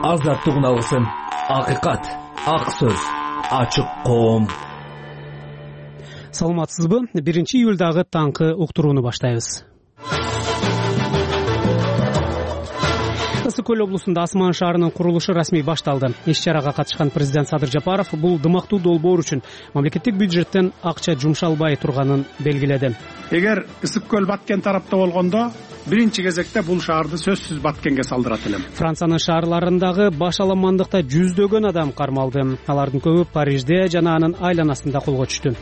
азаттык алсын. Акыйкат, ак сөз, ачык коом. Саламатсызбы? 1-июлдагы таңкы уктурууну баштайбыз. Ысык көл облусунда Асман шаарынын курулушу расмий башталды. Иш-чарага катышкан президент Садыр Жапаров бул дымактуу долбоор үчүн мамлекеттик бюджеттен акча жумшалбай турганын белгиледи. Эгер ысык көл Баткен тарапта болгондо, биринчи кезекте бул шаарды сөзсүз Баткенге салдырат элем. Франциянын шаарларындагы башаламандыкта жүздөгөн адам кармалды. Алардын көбү Парижде жана анын айланасында колго түштү.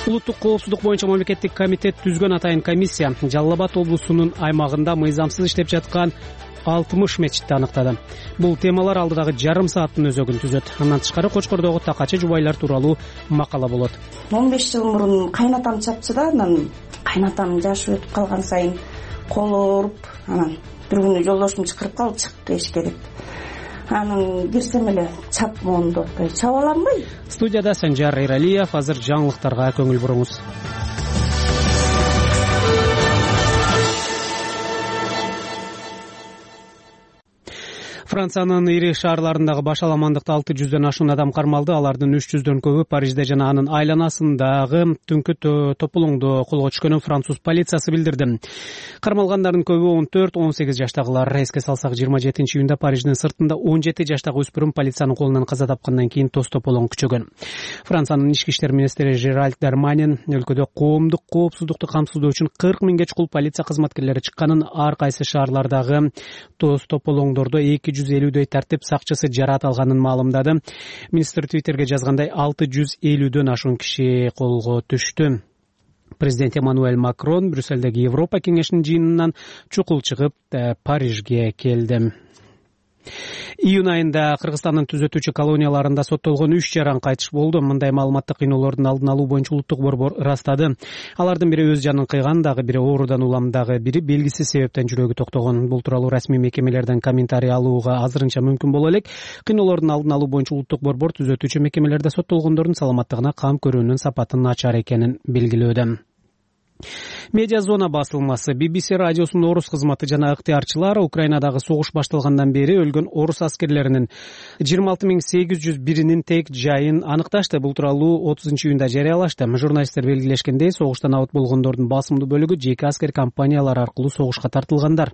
Улуттук коопсуздук боюнча мамлекеттик комитет түзгөн атайын комиссия Жалал Абад облусунун аймагында мыйзамсыз иштеп жаткан 60 мечитти аныктады. Бул темалар алдыдагы жарым сааттын өзөгүн түзөт. Андан тышкары Кочкордогу такачы жубайлар тууралуу макала болот. 15 жыл мурун кайнатам чапчы да, анан кайнатам жашы өтүп калган сайын колу ооруп, анан бир күнү жолдошум чакырып калып чык эшикке деп. Анын кирсем эле чап моунду отпой, чаба алам-бы? Студияда Санжар Эралиев. Азыр жаңылыктарга көңүл буруңуз. Франциянын ири шаарларындагы башаламандыкта 600дөн ашуун адам кармалды. Алардын 300дөн көбү Парижде жана анын айланасындагы түнкү тополоңдо колго түшкөнүн француз полициясы билдирди. Кармалгандардын көбү 14-18 жаштагылар. Эске салсак, 27-июнда Париждин сыртында 17 жаштагы өспүрүм полициянын колунан каза тапкандан кийин тоз тополоң күчөгөн. Франциянын ички иштер министри Жеральд Дарманин өлкөдө коомдук коопсуздукту камсыздоо үчүн 40 миңге чукул полиция кызматкерлери чыкканын, ар кайсы шаарлардагы тоз тополоңдордо 250дөй тартип сакчысы жараат алганын маалымдады. Министр Твиттерге жазгандай 650дөн ашуун киши колго түштү. Президент Эммануэль Макрон Брюссельдеги Европа кеңешинин жыйынынан чукул чыгып Парижге келди. Июнь айында Кыргызстандын түзөтүүчү колонияларында соттолгон 3 жаран кайтыш болду. Мындай маалыматты кыйноолордун алдын алуу боюнча улуттук борбор ырастады. Алардын бири өз жанын кыйган, дагы бири оорудан улам, дагы бири белгисиз себептен жүрөгү токтогон. Бул тууралуу расмий мекемелерден комментарий алууга азырынча мүмкүн боло элек. Кыйноолордун алдын алуу боюнча улуттук борбор түзөтүүчү мекемелерде соттолгондордун саламаттыгына кам көрүүнүн сапаты начар экенин белгилөөдө. Медиа зона басылмасы BBC радиосунун орус кызматы жана ыктыярчылар Украинадагы согуш башталгандан бери өлгөн орус аскерлеринин 26801-нин тек жайын аныкташты. Бул тууралуу 30-июнда жарыялашты. Журналисттер белгилешкендей, согуштан абыт болгондордун басымдуу бөлүгү жеке аскер компаниялар аркылуу согушка тартылгандар.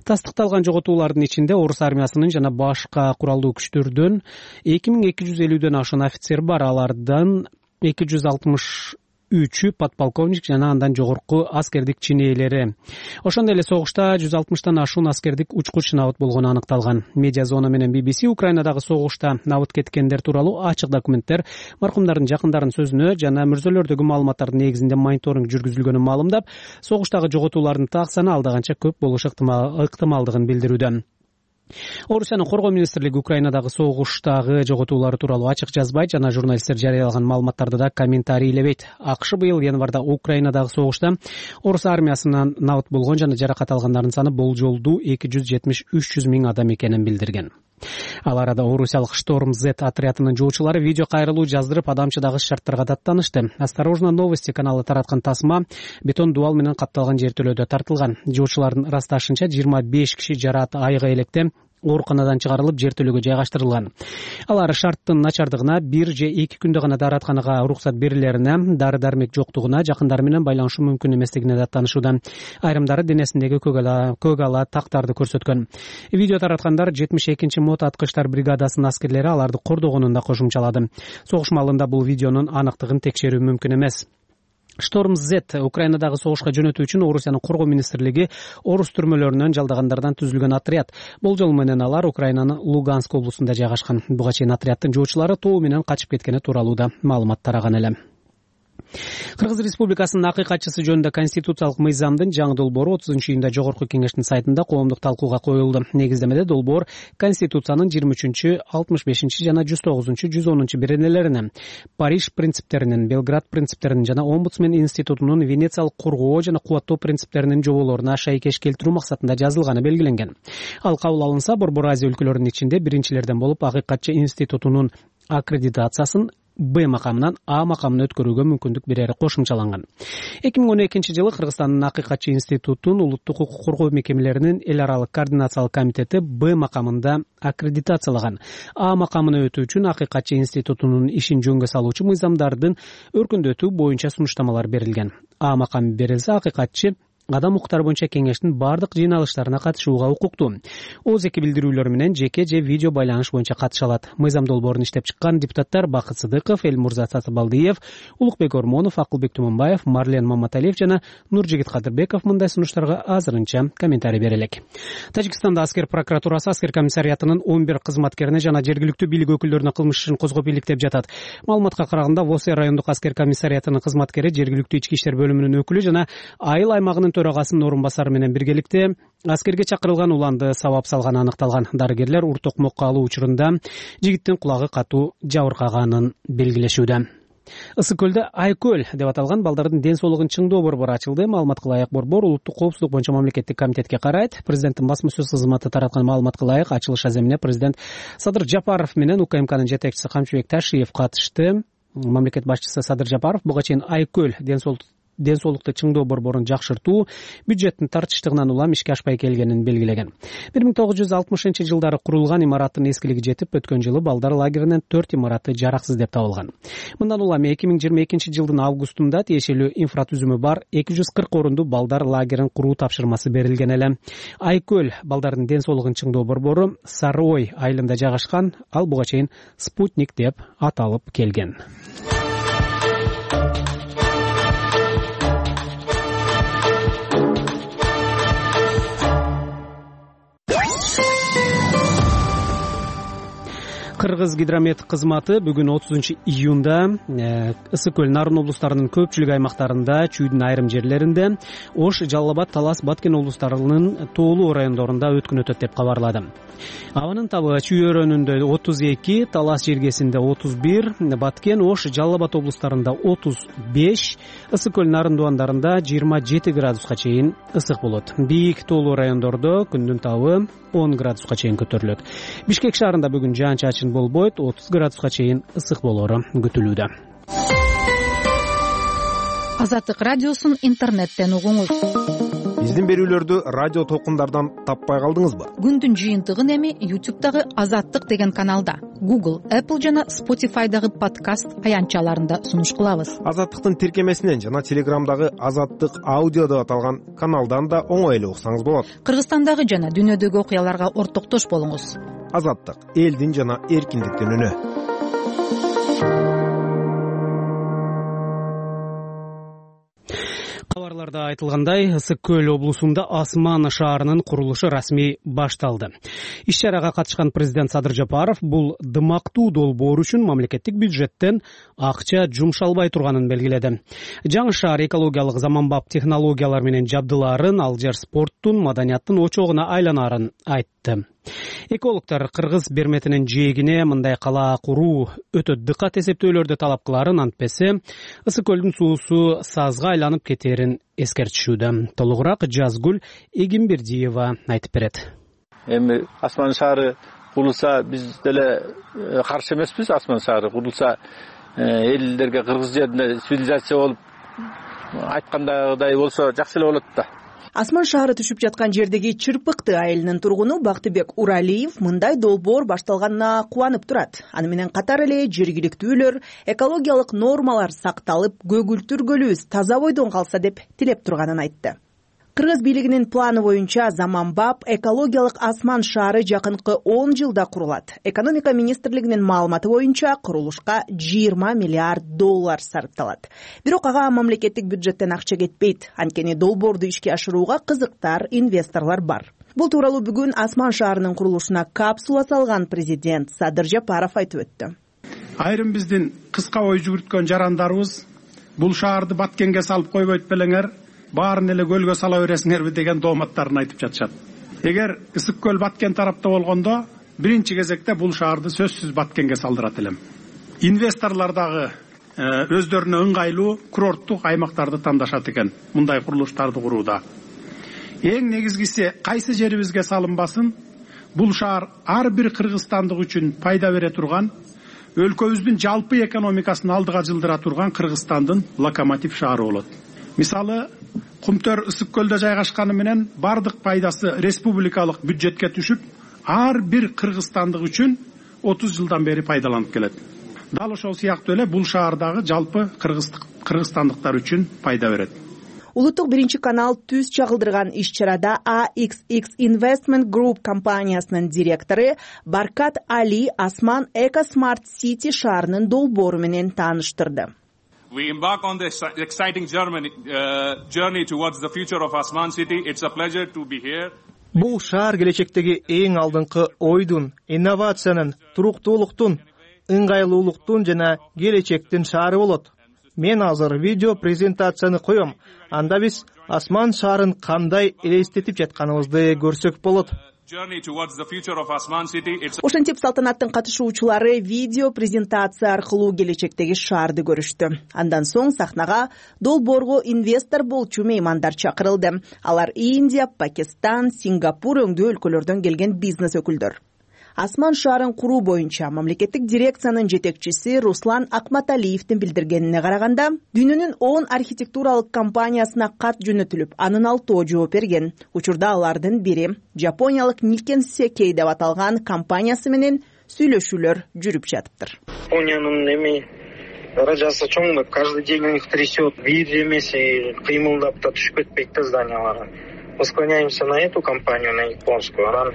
Тастыкталган жоготуулардын ичинде орус армиясынын жана башка куралдуу күчтөрдөн 2250дөн ашуун офицер бар. Алардан 263 подполковник жана андан жогорку аскердик чин ээлери. Ошондой эле согушта 160тан ашуун аскердик учкуч абыт болгону аныкталган. Медиа зона менен BBC Украинадагы согушта абыт кеткендер тууралуу ачык документтер, маркумдардын жакындарынын сөзүнө жана мүрзөлөрдөгү маалыматтардын негизинде мониторинг жүргүзүлгөнүн маалымдап, согуштагы жоготуулардын так саны алда канча көп болушу ыктымалдыгын билдирүүдө. Орусиянын коргоо министрлиги Украинадагы согуштагы жоготуулары тууралуу ачык жазбайт жана журналисттер жарыялаган маалыматтарды да комментарийлебейт. АКШ быйыл январда Украинадагы согушта орус армиясынан абыт болгон жана жаракат алгандардын саны болжолдуу 270-300 миң адам экенин билдирген. Ал арада орусиялык Шторм Z отрядынын жоочулары видео кайрылуу жаздырып, адамчыдагы шарттарга даттанышты. Осторожно новости каналы тараткан тасма бетон дубал менен капталган жертөлөдө тартылган. Жоочулардын ырасташынча 25 киши жараат айга электе ооруканадан чыгарылып жертөлөгө жайгаштырылган. Алар шарттын начардыгына, 1 же 2 күндө гана дааратканага уруксат берилерине, дары-дармек жоктугуна, жакындары менен байланышы мүмкүн эместигине даттанышууда. Айрымдары денесиндеги көк ала тактарды көрсөткөн. Видео тараткандар 72-чи мот аткычтар бригадасынын аскерлери аларды кордогонун да кошумчалады. Согуш маалында бул видеонун аныктыгын текшерүү мүмкүн эмес. Шторм Z Украинадагы согушка жөнөтүү үчүн Орусиянын коргоо министрлиги орус түрмөлөрүнөн жалдагандардан түзүлгөн отряд. Болжол менен алар Украинанын Луганск облусунда жайгашкан. Буга чейин отряддын жоочулары тоо менен качып кеткени тууралуу да маалымат тараган эле. Кыргыз Республикасынын акыйкатчысы жөнүндө конституциялык мыйзамдын жаңы долбоору 30-июнда жогорку кеңештин сайтында коомдук талкууга коюлду. Негиздемеде долбоор Конституциянын 23-чү, 65-чи жана 109-чу, 110-чу беренелерине, Париж принциптеринин, Белград принциптеринин жана Омбудсмен институтунун Венециялык коргоо жана кубаттоо принциптеринин жоболоруна шайкеш келтирүү максатында жазылганы белгиленген. Ал кабыл алынса, Борбор Азия өлкөлөрүнүн ичинде биринчилерден болуп акыйкатчы институтунун аккредитациясын Б макамынан А макамына өткөрүүгө мүмкүндүк берери кошумчаланган. 2012 жылы Кыргызстандын Акыйкатчы институтунун улуттук укук коргоо мекемелеринин эл аралык координациялык комитети Б макамында аккредитациялаган. А макамына өтүү үчүн Акыйкатчы институтунун ишин жөнгө салуучу мыйзамдардын өркүндөтүү боюнча сунуштамалар берилген. А макамы берилсе, акыйкатчы адам укуктары боюнча кеңештин бардык жыйналыштарына катышууга укуктуу. Ооз эки билдирүүлөр менен жеке же видео байланыш боюнча катыша алат. Мыйзам долбоорун иштеп чыккан депутаттар Бакыт Сыдыков, Элмурза Сатыбалдиев, Улукбек Ормонов, Акылбек Туманбаев, Марлен Маматалиев жана Нуржигит Кадырбеков мындай сунуштарга азырынча комментарий бере элек. Тажикстанда аскер прокуратурасы аскер комиссариятынын 11 кызматкерине жана жергиликтүү бийлик өкүлдөрүнө кылмыш ишин козгоп иликтеп жатат. Маалыматка караганда, Восе райондук аскер комиссариятынын кызматкери, жергиликтүү ички иштер бөлүмүнүн өкүлү жана Айыл аймагынын төрагасынын орун басары менен биргеликте аскерге чакырылган уланды сабап салганы аныкталган. Дарыгерлер ур токмокко алуу учурунда жигиттин кулагы катуу жабыркаганын белгилешүүдө. Ысык көлдө Айкөл деп аталган балдардын ден соолугун чыңдоо борбору ачылды. Маалыматка ылайык борбор улуттук коопсуздук боюнча мамлекеттик комитетке карайт. Президенттин басма сөз кызматы тараткан маалыматка ылайык, ачылыш аземине президент Садыр Жапаров менен УКМКнын жетекчиси Камчыбек Ташиев катышты. Мамлекет башчысы Садыр Жапаров буга чейин Айкөл ден соолукту чыңдоо борборун жакшыртуу бюджеттин тартычтыгынан улам ишке ашпай келгенин белгилеген. 1960 жылдары курулган имараттын эскилиги жетип, өткөн жылы балдар лагеринин 4 имараты жараксыз деп табылган. Мындан улам 2022 жылдын августунда тиешелүү инфратүзүмү бар 240 орунду балдар лагерин куруу тапшырмасы берилген эле. Айкөл балдардын ден соолугун чыңдоо борбору Сары Ой айылында жайгашкан, ал буга чейин Спутник деп аталып келген. Кыргыз гидромет кызматы бүгүн 30 июнда Ысык көл, Нарын облустарынын көпчүлүк аймактарында, чүйдүн айрым жерлеринде, Ош, Жалал Абад, Талас, Баткен облустарынын тоолуу райондорунда өткүн өтөт деп кабарлады. Абанын табы Чүй өрөөнүндө 32, Талас жергесинде 31, Баткен, Ош, Жалал Абад облустарында 35, Ысык көл, Нарын дубандарында 27 градуска чейин ысык болот. Бийик тоолуу райондордо күндүн табы 10 градуска чейин көтөрүлөт. Бишкек шаарында бүгүн жаан-чачын болбойт, 30 градуска чейин ысык болору күтүлүүдө. Азаттык радиосун интернеттен угуңуз. Биздин берүүлөрдү радио толкундардан таппай калдыңызбы? Күндүн жыйынтыгын эми YouTube'дагы Азаттык деген каналда, Google, Apple жана Spotify'дагы подкаст аянтчаларында сунуш кылабыз. Азаттыктын тиркемесинен жана Телеграмдагы Азаттык аудио деп аталган каналдан да оңой эле уксаңыз болот. Кыргызстандагы жана дүйнөдөгү окуяларга ортоктош болуңуз. Азаттык — элдин жана эркиндиктин үнү. Кабарларда айтылгандай, Ысык көл облусунда Асман шаарынын курулушу расмий башталды. Иш-чарага катышкан президент Садыр Жапаров бул дымактуу долбоор үчүн мамлекеттик бюджеттен акча жумшалбай турганын белгиледи. Жаңы шаар экологиялык заманбап технологиялар менен жабдылаарын, ал жер спорттун, маданияттын очогуна айланарын айтты. Экологтор кыргыз берметинин жээгине мындай кала куруу өтө дыкат эсептөөлөрдү талап кыларын, антпесе Ысык көлдүн суусу сазга айланып кетерин эскертишүүдө. Толугураак Жазгүл Эгимбердиева айтып берет. Эми Асман шаары курулса, биз деле каршы эмеспиз. Асман шаары курулса, элдерге кыргыз жеринде цивилизация болуп айткандагыдай болсо жакшы эле болот да. Асман шаары түшүп жаткан жердеги Чырпыкты айылынын тургуну Бактыбек Уралиев мындай долбоор башталганына кубанып турат. Аны менен катар эле жергиликтүүлөр экологиялык нормалар сакталып, көгүлтүр көлүбүз таза бойдон калса деп тилеп турганын айтты. Кыргыз бийлигинин планы боюнча заманбап экологиялык Асман шаары жакынкы 10 жылда курулат. Экономика министрлигинин маалыматы боюнча курулушка 20 миллиард доллар сарпталат. Бирок ага мамлекеттик бюджеттен акча кетпейт. Анткени долбоорду ишке ашырууга кызыктар, инвесторлор бар. Бул тууралуу бүгүн Асман шаарынын курулушуна капсула салган президент Садыр Жапаров айтып өттү. Айрым биздин кыска ой жүгүрткөн жарандарыбыз бул шаарды Баткенге салып койбойт белеңер, баарын эле көлгө сала бересиңерби деген дооматтарын айтып жатышат. Эгер Ысык көл Баткен тарапта болгондо, биринчи кезекте бул шаарды сөзсүз Баткенге салдырат элем. Инвесторлор дагы өздөрүнө ыңгайлуу курорттук аймактарды тандашат экен мындай курулуштарды курууда. Эң негизгиси кайсы жерибизге салынбасын, бул шаар ар бир кыргызстандык үчүн пайда бере турган, өлкөбүздүн жалпы экономикасын алдыга жылдыра турган Кыргызстандын локомотив шаары болот. Мисалы, Кумтөр ысык көлдө жайгашканы менен бардык пайдасы республикалык бюджетке түшүп, ар бир кыргызстандык үчүн 30 жылдан бери пайдаланып келет. Дал ошол сыяктуу эле бул шаардагы жалпы кыргызстандыктар үчүн пайда берет. Улуттук биринчи канал түз чагылдырган иш-чарада AXX Investment Group компаниясынын директору Баркат Али Асман Эко Smart City шаарынын долбоору менен тааныштырды. We embark on this exciting journey towards the future of Asman City. It's a pleasure to be here. Бул шаар келечектеги эң алдыңкы ойдун, инновациянын, туруктуулуктун, ыңгайлуулуктун жана келечектин шаары болот. Мен азыр видео презентацияны коем. Анда биз Асман шаарын кандай элестетип жатканыбызды көрсөк болот. Ошентип салтанаттын катышуучулары видео презентация аркылуу келечектеги шаарды көрүштү. Андан соң сахнага долбоорго инвестор болчу меймандар чакырылды. Алар Индия, Пакистан, Сингапур өңдүү өлкөлөрдөн келген бизнес өкүлдөр. Асман шаарын куруу боюнча мамлекеттик дирекциянын жетекчиси Руслан Акматалиевдин билдиргенине караганда, дүйнөнүн 10 архитектуралык компаниясына кат жөнөтүлүп, анын 6 жооп берген. Учурда алардын бири жапониялык Nikken Sekkei деп аталган компаниясы менен сүйлөшүүлөр жүрүп жатыптыр. Япониянын даражасы чоң, каждый день у них трясет, бир эмес кыймылдап да түшүп кетпейт да зданиялары. Мы склоняемся на эту компанию, на японскую.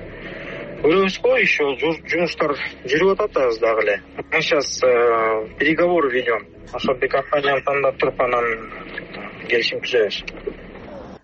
Көрөбүзгө еще жумуштар жүрүп атат азыр дагы эле. Мы сейчас переговоры ведем. Ошол бир компанияны тандап туруп анан келишим түзөбүз.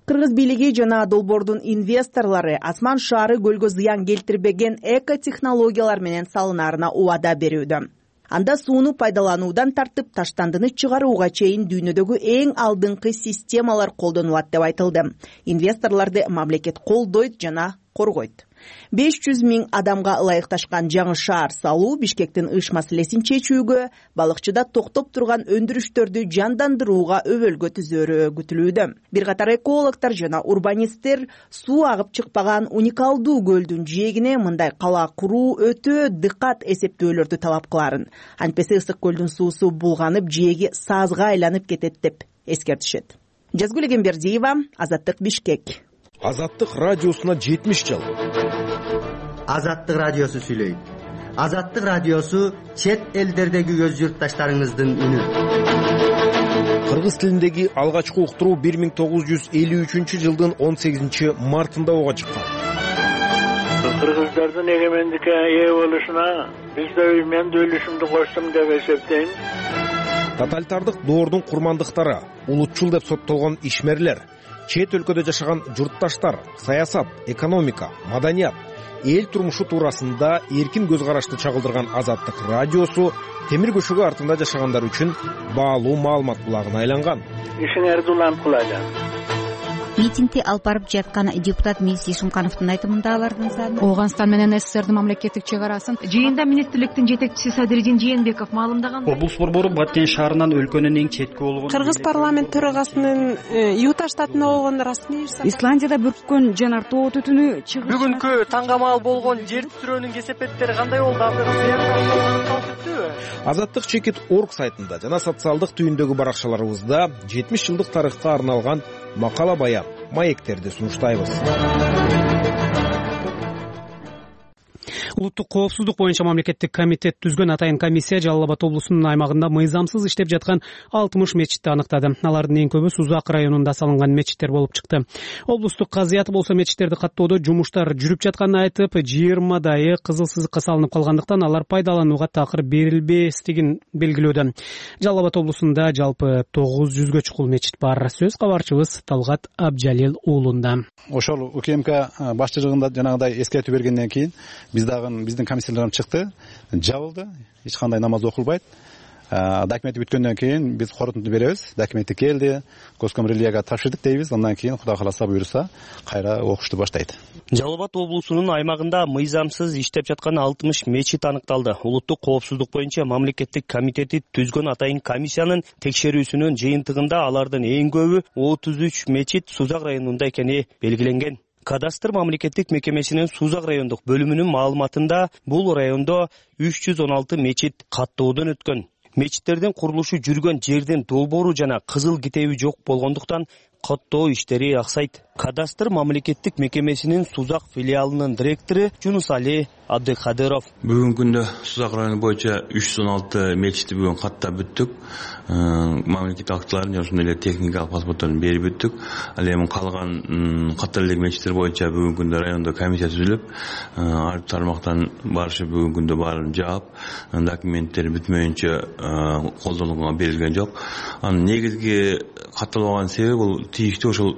Кыргыз бийлиги жана долбоордун инвесторлору Асман шаары көлгө зыян келтирбеген эко-технологиялар менен салынаарына убада берүүдө. Анда сууну пайдалануудан тартып таштандыны чыгарууга чейин дүйнөдөгү эң алдыңкы системалар колдонулат деп айтылды. Инвесторлорду мамлекет колдойт жана коргойт. 500 000 адамга ылайыкташкан жаңы шаар салуу Бишкектин ыш маселесин чечүүгө, балыкчыда токтоп турган өндүрүштөрдү жандандырууга өбөлгө түзөөрү күтүлүүдө. Бир катар экологдор жана урбанисттер суу агып чыкпаган уникалдуу көлдүн жээгине мындай кала куруу өтө дыкат эсептөөлөрдү талап кыларын. Антпесе ысык көлдүн суусу булганып, жээги саазга айланып кетет деп эскертишет. Жазгүл Эгембердиева, Азаттык, Бишкек. Азаттык радиосуна 70 жыл. Азаттык радиосу сүйлөйт. Азаттык радиосу чет элдердеги өз журтташтарыңыздын үнү. Кыргыз тилиндеги алгачкы уктуруу 1953 жылдын 18 мартында ого чыккан. Кыргыздардын эгемендикке ээ болушуна мен да үлүшүмдү коштум деп эсептейм. Тоталитардык доордун курмандыктары, улутчул деп соттолгон ишмерлер, чет өлкөдө жашаган журтташтар, саясат, экономика, маданият, эл турмушу туурасында эркин көз карашты чагылдырган Азаттык радиосу темир көшөгү артында жашагандар үчүн баалуу маалымат булагына айланган. Ишиңерди улам кылажам. Митингди алып барып жаткан депутат Мирис Ишумкановдун айтымында алардын саны Ооганстан менен СССРдин мамлекеттик чек арасын жыйында министрликтин жетекчиси Садыридин Жээнбеков маалымдаган. Облус борбору Баткен шаарынан өлкөнүн эң четки болгон Кыргыз парламент төрагасынын Юта штатында болгон расмий Исландияда бүрккөн жанар тоо түтүнү чыгыш. Бүгүнкү таңгамал болгон жер титирөөнүн кесепеттери кандай болду? Азаттык чекит.org сайтында жана социалдык түйүндөгү баракчаларыбызда 70 жылдык тарыхка арналган макала баян, маектерди сунуштайбыз. Улуттук коопсуздук боюнча мамлекеттик комитет түзгөн атайын комиссия Жалал Абад облусунун аймагында мыйзамсыз иштеп жаткан 60 мечитти аныктады. Алардын эң көбү Сузак районунда салынган мечиттер болуп чыкты. Облустук казыяты болсо мечиттерди каттоодо жумуштар жүрүп жатканын айтып, 20 кызыл сызыкка салынып калгандыктан алар пайдаланууга такыр берилбестигин белгилөөдө. Жалал Абад облусунда жалпы 900гө чукул мечит бар. Сөз кабарчыбыз Талгат Абжалил уулунда. Ошол УКМК башчылыгында жанагыдай эскертүү бергенден кийин биздин комиссияларым чыкты, жабылды, эч кандай намаз окулбайт. Документи бүткөндөн кийин биз корутунду беребиз. Документи келди, Госкомрелияга тапшырдык дейбиз. Андан кийин Кудай кааласа буйруса кайра окушту баштайт. Жалал Абад облусунун аймагында мыйзамсыз иштеп жаткан 60 мечит аныкталды. Улуттук коопсуздук боюнча мамлекеттик комитети түзгөн атайын комиссиянын текшерүүсүнүн жыйынтыгында алардын эң көбү 33 мечит Сузак районунда экени белгиленген. Кадастр мамлекеттик мекемесинин Сузак райондук бөлүмүнүн маалыматында бул райондо 316 мечит каттоодон өткөн. Мечиттердин курулушу жүргөн жердин долбоору жана кызыл китеби жок болгондуктан каттоо иштери аксайт. Кадастр мамлекеттик мекемесинин Сузак филиалынын директору Жунусали Абдыкадыров: Бүгүнкү күндө Сузак району боюнча 316 мечитти бүгүн каттап бүттүк. Мамлекеттик актыларын жана ошондой эле техникалык паспортторун берип бүттүк. Ал эми калган каттар элек мечиттер боюнча бүгүнкү күндө райондо комиссия түзүлүп, ар бир тармактан барышып бүгүнкү күндө баарын жаап, документтер бүтмөйүнчө колдонууга берилген жок. Анын негизги катталбаган себеби бул тийиштүү ошол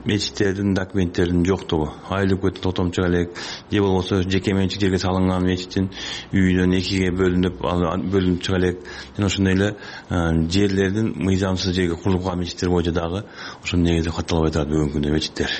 мечиттердин документтеринин жоктугу. Айлык өтүп токтомчу элек же болбосо жеке менчик жерге салынган мечиттин үйдөн экиге бөлүнүп чыга элек. Жана ошондой эле жерлердин мыйзамсыз жерге курулуп калган мечиттер боюнча дагы ошонун негизи катталбай турат бүгүнкү күндө мечиттер.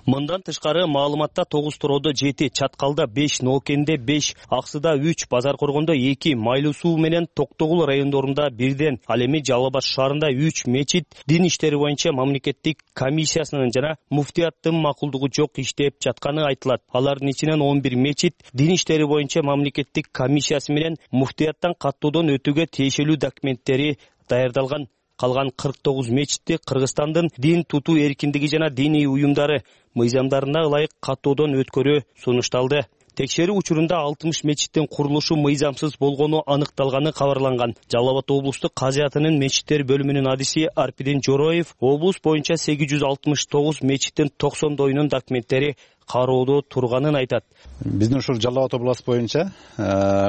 Мындан тышкары маалыматта 9 Тороодо 7, Чаткалда 5, Ноокенде 5, Аксыда 3, Базар Коргондо 2, Майлуу Суу менен Токтогул райондорунда 1ден, ал эми Жалал Абад шаарында 3 мечит дин иштери боюнча мамлекеттик комиссиясынын жана муфтияттын макулдугу жок иштеп жатканы айтылат. Алардын ичинен 11 мечит дин иштери боюнча мамлекеттик комиссиясы менен муфтияттан каттоодон өтүүгө тиешелүү документтери даярдалган. Калган 49 мечитти Кыргызстандын дин тутуу эркиндиги жана диний уюмдары мыйзамдарына ылайык каттоодон өткөрүү сунушталды. Текшерүү учурунда 60 мечиттин курулушу мыйзамсыз болгону аныкталганы кабарланган. Жалал Абад облустук казыятынын мечиттер бөлүмүнүн адиси Арпидин Жороев облус боюнча 869 мечиттин 90-доюнун документтери кароодо турганын айтат. Биздин ушул Жалал Абад областы боюнча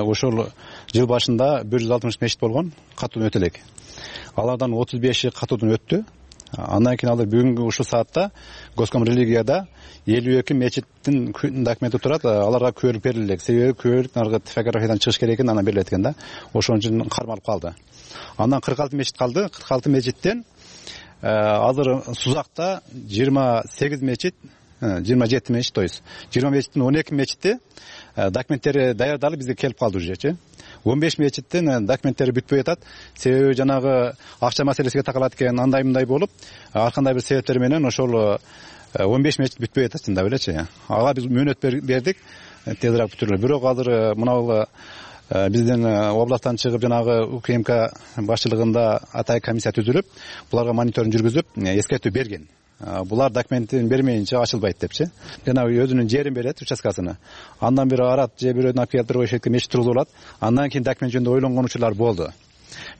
ушул жыл башында 160 мечит болгон, каттоодон өтө элек. Алардан 35 каттоодон өттү. Андан кийин алар бүгүнкү ушул саатта Госком религияда 52 мечиттин документи турат. Аларга күбөлүк берилет. Себеби күбөлүк наркы типографиядан чыгыш керек экен, анан берилет экен да. Ошон үчүн кармалып калды. Андан 46 мечит калды. 46 мечиттен азыр Сузакта 28 мечит, 27 мечит, то есть 20 мечиттин 12 мечити документтери даярдалып бизге келип калды уже. 15 мечиттин документтери бүтпөй атат. Себеби жанагы акча маселесиге такалат экен, андай мындай болуп, ар кандай бир себептер менен ошол 15 мечит бүтпөй атат, чындап элечи. Ага биз мөөнөт бердик, тезирээк бүтүрүлө. Бирок азыр мына биздин областтан чыгып жанагы УКМК башчылыгында атай комиссия түзүлүп, буларга мониторинг жүргүзүп, эскертүү берген. Булар документин бермейинче ачылбайт депчи. Жана өзүнүн жерин берет, участкасына. Андан бери арат же бирөөнүн алып келип бир шетке мечит тургузулат. Андан кийин документ жөнүндө ойлонгон учурлар болду.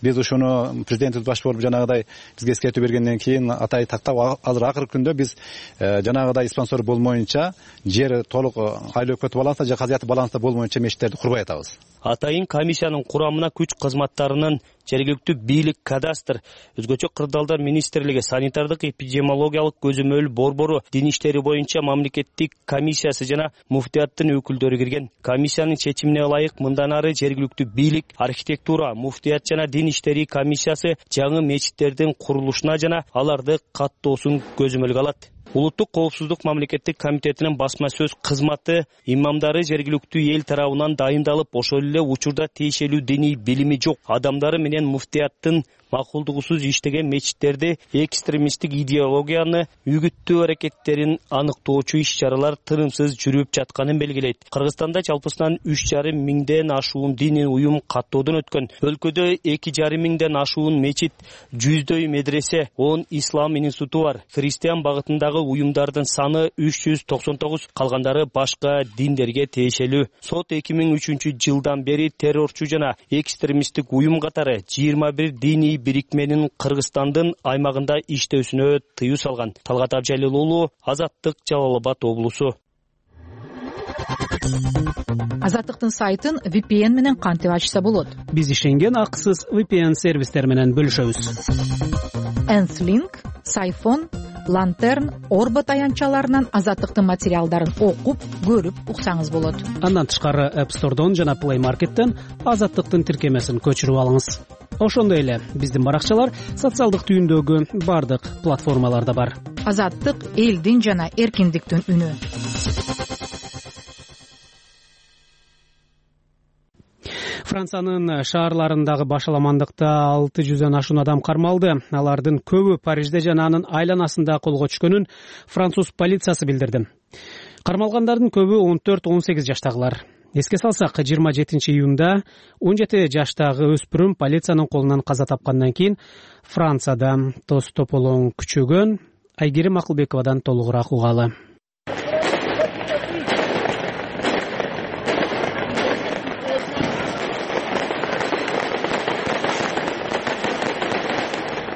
Биз ушуну президент баш болуп жанагыдай бизге эскертүү бергенден кийин атай тактап, азыр акыркы күндө биз жанагыдай спонсор болмоюнча, жер толук айыл өкмөтү балансында же казыяты балансында болмоюнча мечиттерди курбай атабыз. Атайын комиссиянын курамына күч кызматтарынын жергиликтүү бийлик, кадастр, өзгөчө кырдаалдар министрлиги, санитардык эпидемиологиялык көзөмөл борбору, дин иштери боюнча мамлекеттик комиссиясы жана муфтияттын өкүлдөрү кирген. Комиссиянын чечимине ылайык мындан ары жергиликтүү бийлик, архитектура, муфтият жана дин иштери комиссиясы жаңы мечиттердин курулушуна жана аларды каттоосун көзөмөлгө алат. Улуттук коопсуздук мамлекеттик комитетинин басма сөз кызматы имамдары жергиликтүү эл тарабынан дайындалып, ошол эле учурда тиешелүү диний билими жок адамдары менен муфтияттын макулдугусуз иштеген мечиттерди экстремисттик идеологияны үгүттөө аракеттерин аныктоочу иш-чаралар тынымсыз жүрүп жатканын белгилейт. Кыргызстанда жалпысынан 3,5 миңден ашуун диний уюм каттоодон өткөн. Өлкөдө 2,5 миңден ашуун мечит, 100дөй медресе, 10 ислам институту бар. Христиан багытындагы уюмдардын саны 399, калгандары башка диндерге тиешелүү. Сот 2003 бери террорчу жана экстремисттик уюм катары 21 диний бирикменин Кыргызстандын аймагында иштөөсүнө тыюу салган. Талгат Абжалил уулу, Азаттык, Жалал Абад облусу. Азаттыктын сайтын VPN менен кантип ачса болот? Биз ишенген акысыз VPN сервистер менен бөлүшөбүз. Nthling, Сайфон, Lantern, Орбот аянтчаларынан Азаттыктын материалдарын окуп, көрүп уксаңыз болот. Андан тышкары App Store'дон жана Play Market'тен Азаттыктын тиркемесин көчүрүп алыңыз. Ошондой эле биздин баракчалар социалдык түйүндөгү бардык платформаларда бар. Азаттык элдин жана эркиндиктин үнү. Франциянын шаарларындагы башаламандыкта 600дөн ашуун адам кармалды. Алардын көбү Парижде жана анын айланасында колго түшкөнүн француз полициясы билдирди. Кармалгандардын көбү 14-18 жаштагылар. Эске салсак, 27 июнда 17 жаштагы өспүрүм полициянын колунан каза тапкандан кийин Францияда тоз тополоң күчөгөн. Айгерим Акылбековадан толугураак угалы.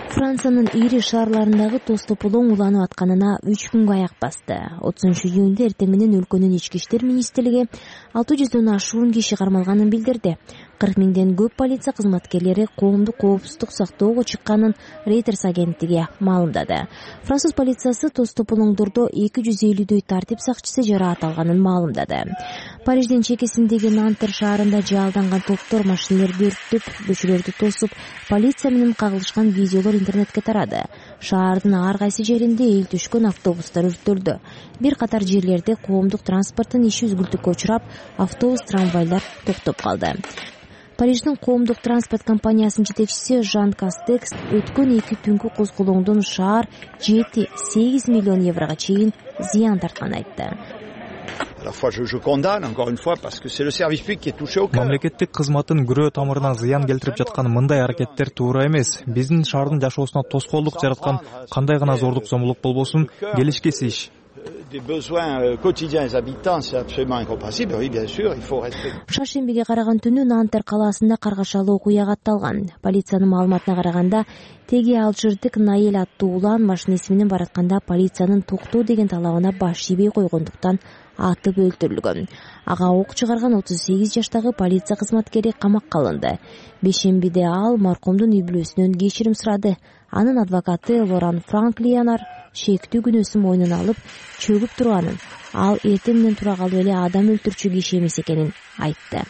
Франциянын ири шаарларындагы тоз тополоң уланып атканына 3 күнгө аяк басты. 30 июнда эртең менен өлкөнүн ички иштер министрлиги 600дөн ашуун киши кармалганын билдирди. 40 миңден көп полиция кызматкерлери коомдук коопсуздук сактоого чыкканын Reuters агенттиги маалымдады. Француз полициясы тоз тополоңдордо 250дөй тартип сакчысы жараат алганын маалымдады. Париждин чекесиндеги Нантер шаарында жаалданган топтор машиналерди өрттөп, көчөлөрдү тосуп, полиция менен кагылышкан видеолор интернетке тарады. Шаардын ар кайсы жеринде эл түшкөн автобустар өрттөлдү. Бир катар жерлерде коомдук транспорттун иши үзгүлтүккө учурап, автобус, трамвайлар токтоп калды. Париждин коомдук транспорт компаниясынын жетекчиси Жан Кастекс өткөн 2 түнкү козголоңдон шаар 7-8 миллион еврого чейин зыян тартканын айтты. Мамлекеттик кызматтын күрөө тамырына зыян келтирип жаткан мындай аракеттер туура эмес. Биздин шаардын жашоосуна тоскоолдук жараткан кандай гана зордук зомбулук болбосун келишкес иш. Шаршембиге караган түнү Нантер калаасында каргашалуу окуя катталган. Полициянын маалыматына караганда, теги алжирдик Наэль аттуу улан машинеси менен баратканда полициянын токтоо деген талабына баш ийбей койгондуктан атып өлтүрүлгөн. Ага ок чыгарган 38 жаштагы полиция кызматкери камакка алынды. Бейшембиде ал маркумдун үй бүлөсүнөн кечирим сурады. Анын адвокаты Лоран Франклиянар шектүү күнөөсүн мойнуна алып чөгүп турганын, ал эртең менен тура калып эле адам өлтүрчү киши эмес экенин айтты.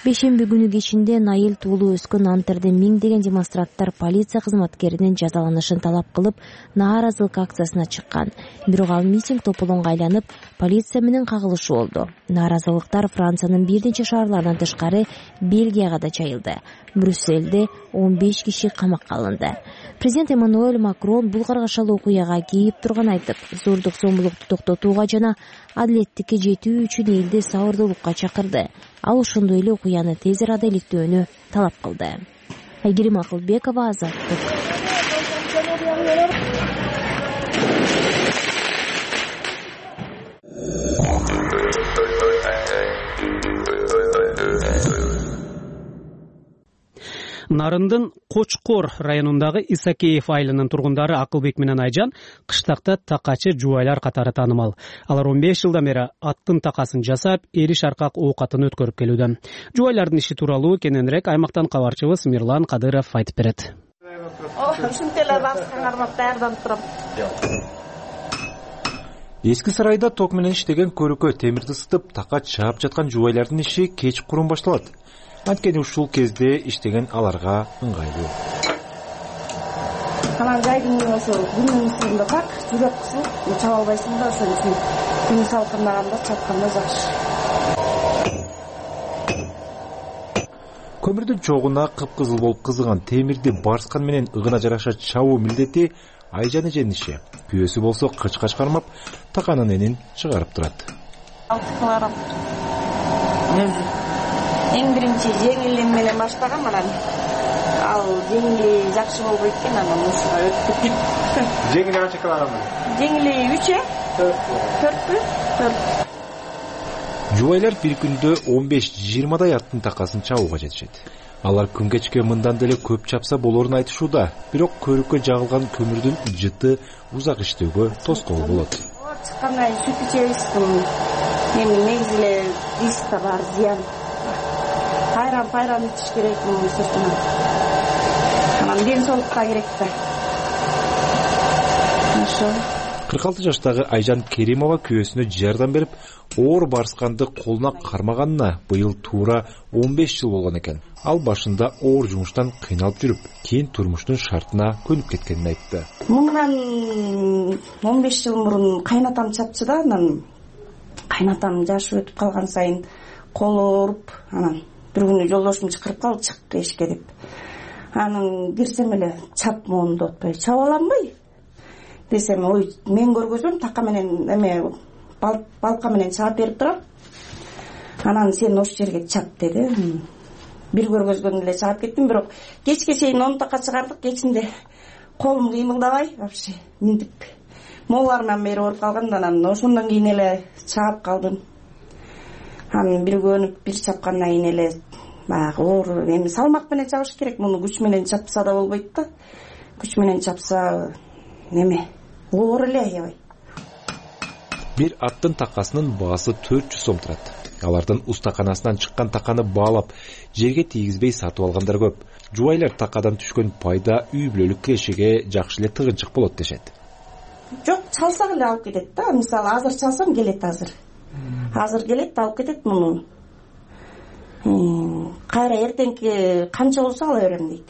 Бейшемби күнү кечинде Наэль туулуп өскөн Нантерде миңдеген демонстранттар полиция кызматкеринин жазаланышын талап кылып, нааразылык акциясына чыккан. Бирок ал митинг тополоңго айланып, полиция менен кагылышуу болду. Нааразылыктар Франциянын бир нече шаарларынан тышкары Бельгияга да жайылды. Брюсселде 15 киши камакка алынды. Президент Эммануэль Макрон бул каргашалуу окуяга кейип турганын айтып, зордук зомбулукту токтотууга жана адилеттикке жетүү үчүн элди сабырдуулукка чакырды. Ал ошондой эле окуяны тез арада иликтөөнү талап кылды. Айгерим Акылбекова, Азаттык. Нарындын Кочкор районундагы Исакеев айылынын тургундары Акылбек менен Айжан кыштакта такачы жубайлар катары таанымал. Алар 15 жылдан бери аттын такасын жасап, эриш аркак оокатын өткөрүп келүүдө. Жубайлардын иши тууралуу кененирээк аймактан кабарчыбыз Мирлан Кадыров айтып берет. Эски сарайда ток менен иштеген көрүкө темирди ысытып, такач чаап жаткан жубайлардын иши кечкурун башталат. Анткени ушул кезде иштеген аларга ыңгайлуу. Анан жайдын күнүнүн ысыгында так жүрөк кысылып, чаба албайсың да, ошон үчүн күн салкындаганда чапканда жакшы. Көмүрдүн чогуна кыпкызыл болуп кызыган темирди барскан менен ыгына жараша чабуу милдети Айжан эженин иши. Күйөөсү болсо кыч-кач кармап, таканын энин чыгарып турат. Эң биринчи жеңил менен баштагам, анан ал жеңили жакшы болбойт экен, анан ушуга өттүк. Жеңили канча килограмм? Жеңили 3 4 Жубайлар бир күндө 15-20дай аттын такасын чабууга жетишет. Алар күн кечке мындан деле көп чапса болорун айтышууда, бирок көрүккө жагылган көмүрдүн жыты узак иштөөгө тоскоол болот. Чыккандай сүт ичебиз, негизи эле риска бар, зыян. Пайран ичиш керек мунун сыртынан. Анан ден соолукка керек да. 46 жаштагы Айжан Керимова күйөөсүнө жардам берип, оор барсканды колуна кармаганына быйыл туура 15 жыл болгон экен. Ал башында оор жумуштан кыйналып жүрүп, кийин турмуштун шартына көнүп кеткенин айтты. Мындан 15 жыл мурун кайнатам чапчы да, анан кайнатам жашы өтүп калган сайын колу ооруп, анан бир күнү жолдошум чакырып калды, чык эшикке деп. Анан кирсем эле чап моунду отпой, чаап аламбы десем, ой, мен көргөзөм, така менен эме балка менен чаап берип турам. Анан сен ошол жерге чап деди. Бир көргөзгөндө эле чаап кеттим, бирок кечке чейин 10 така чыгардык, кечинде колум кыймылдабай, вообще минтип моларынан бери ооруп калган. Анан ошондон кийин эле чаап калдым. Анан бир көнүп, бир чапкандан кийин эле баягы оор, эми салмак менен чабыш керек. Муну күч менен чапса да болбойт да. Күч менен чапса неме оор эле аябай. Бир аттын такасынын баасы 400 сом турат. Алардын устаканасынан чыккан таканы баалап, жерге тийгизбей сатып алгандар көп. Жубайлар такадан түшкөн пайда үй бүлөлүк кирешеге жакшы эле тыгынчык болот дешет. Жок, чалсак эле алып кетет да. Мисалы азыр чалсам келет, азыр келет, алып кетет муну. Кайра эртеңки канча болсо ала берем дейт.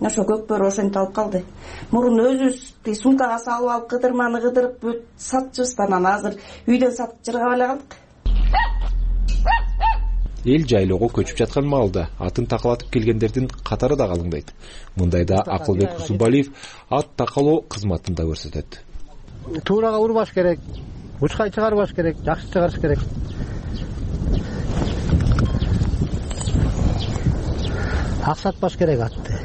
Ошо көкбөрү ошентип алып калды. Мурун өзүбүз сумкага салып алып кыдырманы кыдырып сатчыбыз, анан азыр үйдөн сатып жыргап эле калдык. Эл жайлоого көчүп жаткан маалда атын такалатып келгендердин катары да калыңдайт. Мындайда Акылбек Усубалиев ат такалоо кызматын да көрсөтөт. Туурага урбаш керек, учкай чыгарбаш керек, жакшы чыгарыш керек. Аксатпаш керек атты.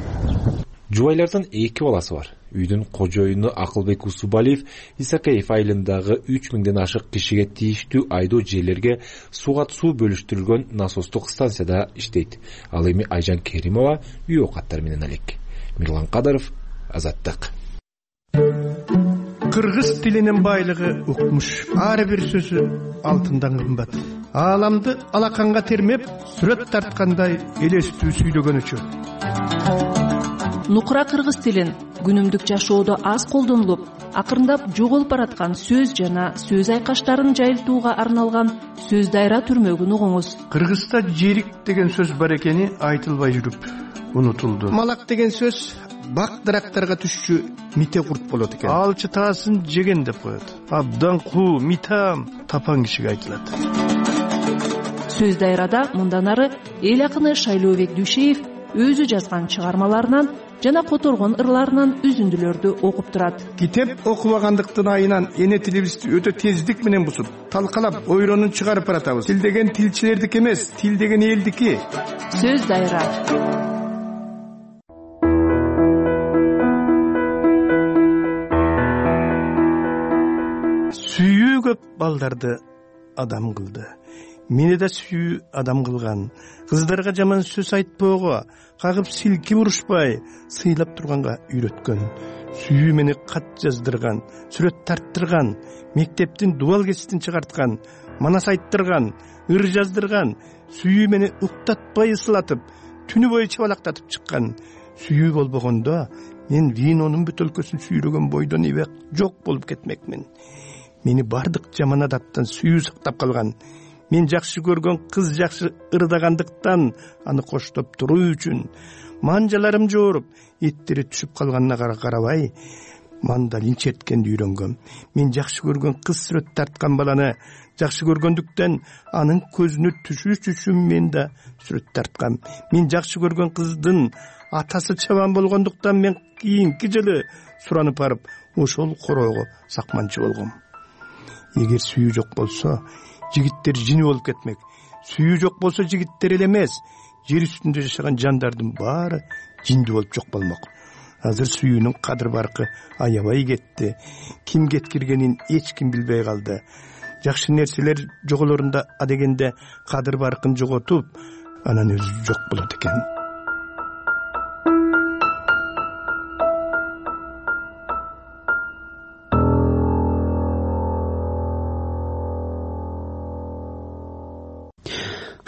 Жубайлардын 2 баласы бар. Үйдүн кожоюну Акылбек Усубалиев Исакеев айылындагы 3000ден ашык кишиге тийиштүү айдоо жерлерге суу бөлүштүрүлгөн насостук станцияда иштейт. Ал эми Айжан Керимова үй оокаттар менен алек. Мирлан Кадаров, Азаттык. Кыргыз тилинин байлыгы укмуш. Ар бир сөзү алтындан кымбат. Ааламды алаканга термеп, сүрөт тарткандай элестүү сүйлөгөнүчү. Нукура кыргыз тилин күнүмдүк жашоодо аз колдонулуп, акырындап жоголуп бараткан сөз жана сөз айкаштарын жайылтууга арналган сөз дайра түрмөгүн угуңуз. Кыргызда жерик деген сөз бар экени айтылбай жүрүп унутулду. Малак деген сөз бак дарактарга түшчү мите курт болот экен. Алчы таасын жеген деп коет. Абдан куу, митам тапан кишиге айтылат. Сөз дайрада мындан ары эл акыны Шайлообек Дүйшеев өзү жазган чыгармаларынан жана которгон ырларынан үзүндүлөрдү окуп турат. Китеп окубагандыктын айынан эне тилибизди өтө тездик менен бузуп, талкалап, ойронун чыгарып баратабыз. Тил деген тилчилердики эмес, тил деген элдики. Сөз дайра. Сүйүү көп балдарды адам кылды. Мени да сүйүү адам кылган. Кыздарга жаман сөз айтпоого, кагып силки урушпай, сыйлап турганга үйрөткөн. Сүйүү мени кат жаздырган, сүрөт тарттырган, мектептин дубал кеситин чыгарткан, манас айттырган, ыр жаздырган. Сүйүү мени уктатпай ысылатып, түнү бою чабалактатып чыккан. Сүйүү болбогондо мен винонун бөтөлкөсүн сүйрөгөн бойдон эбек жок болуп кетмекмин. Мени бардык жаман адаттан сүйүү сактап калган. Мен жакшы көргөн кыз жакшы ырдагандыктан аны коштоп туруу үчүн манжаларым жооруп, эттери түшүп калганына карабай, мандалин черткенди үйрөнгөм. Мен жакшы көргөн кыз сүрөт тарткан баланы жакшы көргөндүктөн анын көзүнө түшүш үчүн мен да сүрөт тарткам. Мен жакшы көргөн кыздын атасы чабан болгондуктан мен кийинки жылы суранып барып, ошол короого сакманчы болгом. Эгер сүйүү жок болсо, жигиттер жини болуп кетмек. Сүйүү жок болсо жигиттер эле эмес, жер үстүндө жашаган жандардын баары жинди болуп жок болмок. Азыр сүйүүнүн кадыр баркы аябай кетти. Ким кеткиргенин эч ким билбей калды. Жакшы нерселер жоголорунда адегенде кадыр баркын жоготуп, анан өзү жок болот экен.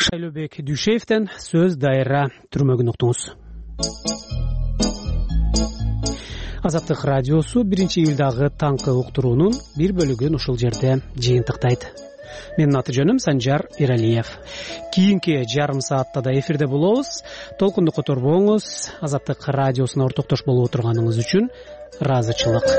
Шайлообек Дүйшеевден сөз дайра түрмөгүн уктуңуз. Азаттык радиосу 1-июлдагы таңкы уктуруунун бир бөлүгүн ушул жерде жыйынтыктайт. Менин аты жөнүм Санжар Эралиев. Кийинки жарым саатта да эфирде болобуз. Толкунду которбоңуз. Азаттык радиосуна ортоктош болуп отурганыңыз үчүн ыраазычылык.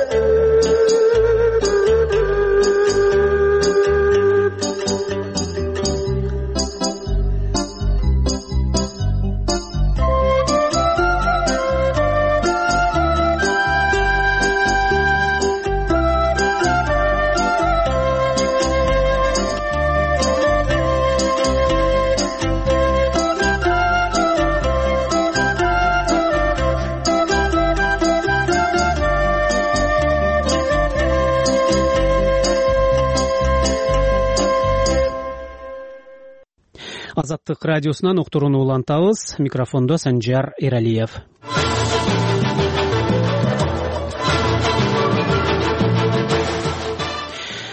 Азаттык радиосунан уктурууну улантабыз. Микрофондо Санжар Эралиев.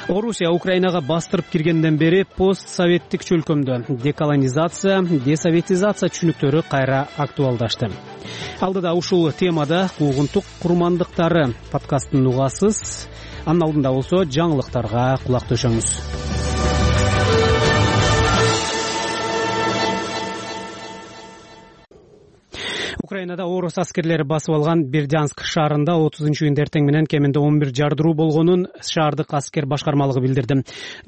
Орусия Украинага бастырып киргенден бери постсоветтик чөлкөмдө деколонизация, десоветизация түшүнүктөрү кайра актуалдашты. Алдыда ушул темада куугунтук курмандыктары подкастын угасыз. Анын алдында болсо жаңылыктарга кулак төшөңүз. Украинада орус аскерлери басып алган Бердянск шаарында 30-июнда эртең менен кеминде 11 жардыруу болгонун шаардык аскер башкармалыгы билдирди.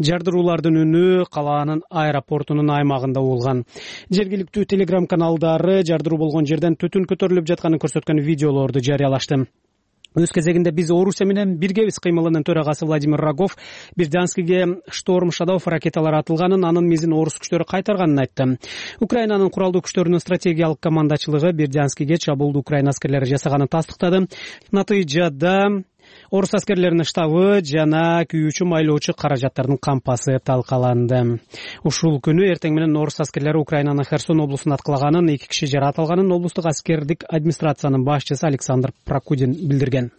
Жардыруулардын үнү калаанын аэропортунун аймагында болгон. Жергиликтүү телеграм каналдары жардыруу болгон жерден түтүн көтөрүлүп жатканын көрсөткөн видеолорду жарыялашты. Өз кезегинде биз Орусия менен биргебиз кыймылынын төрагасы Владимир Рогов Бердянскиге Шторм Шадов ракеталар атылганын, анын мизин орус күчтөрү кайтарганын айтты. Украинанын куралдуу күчтөрүнүн стратегиялык командачылыгы Бердянскиге чабуулду Украина аскерлери жасаганын тастыктады. Натыйжада орус аскерлеринин штабы жана күйүүчү майлоочу каражаттардын кампасы талкаланды. Ушул күнү эртең менен орус аскерлери Украинанын Херсон облусун аткылаганын, 2 киши жаракат алганын облустук аскердик администрациянын башчысы Александр Прокудин билдирген.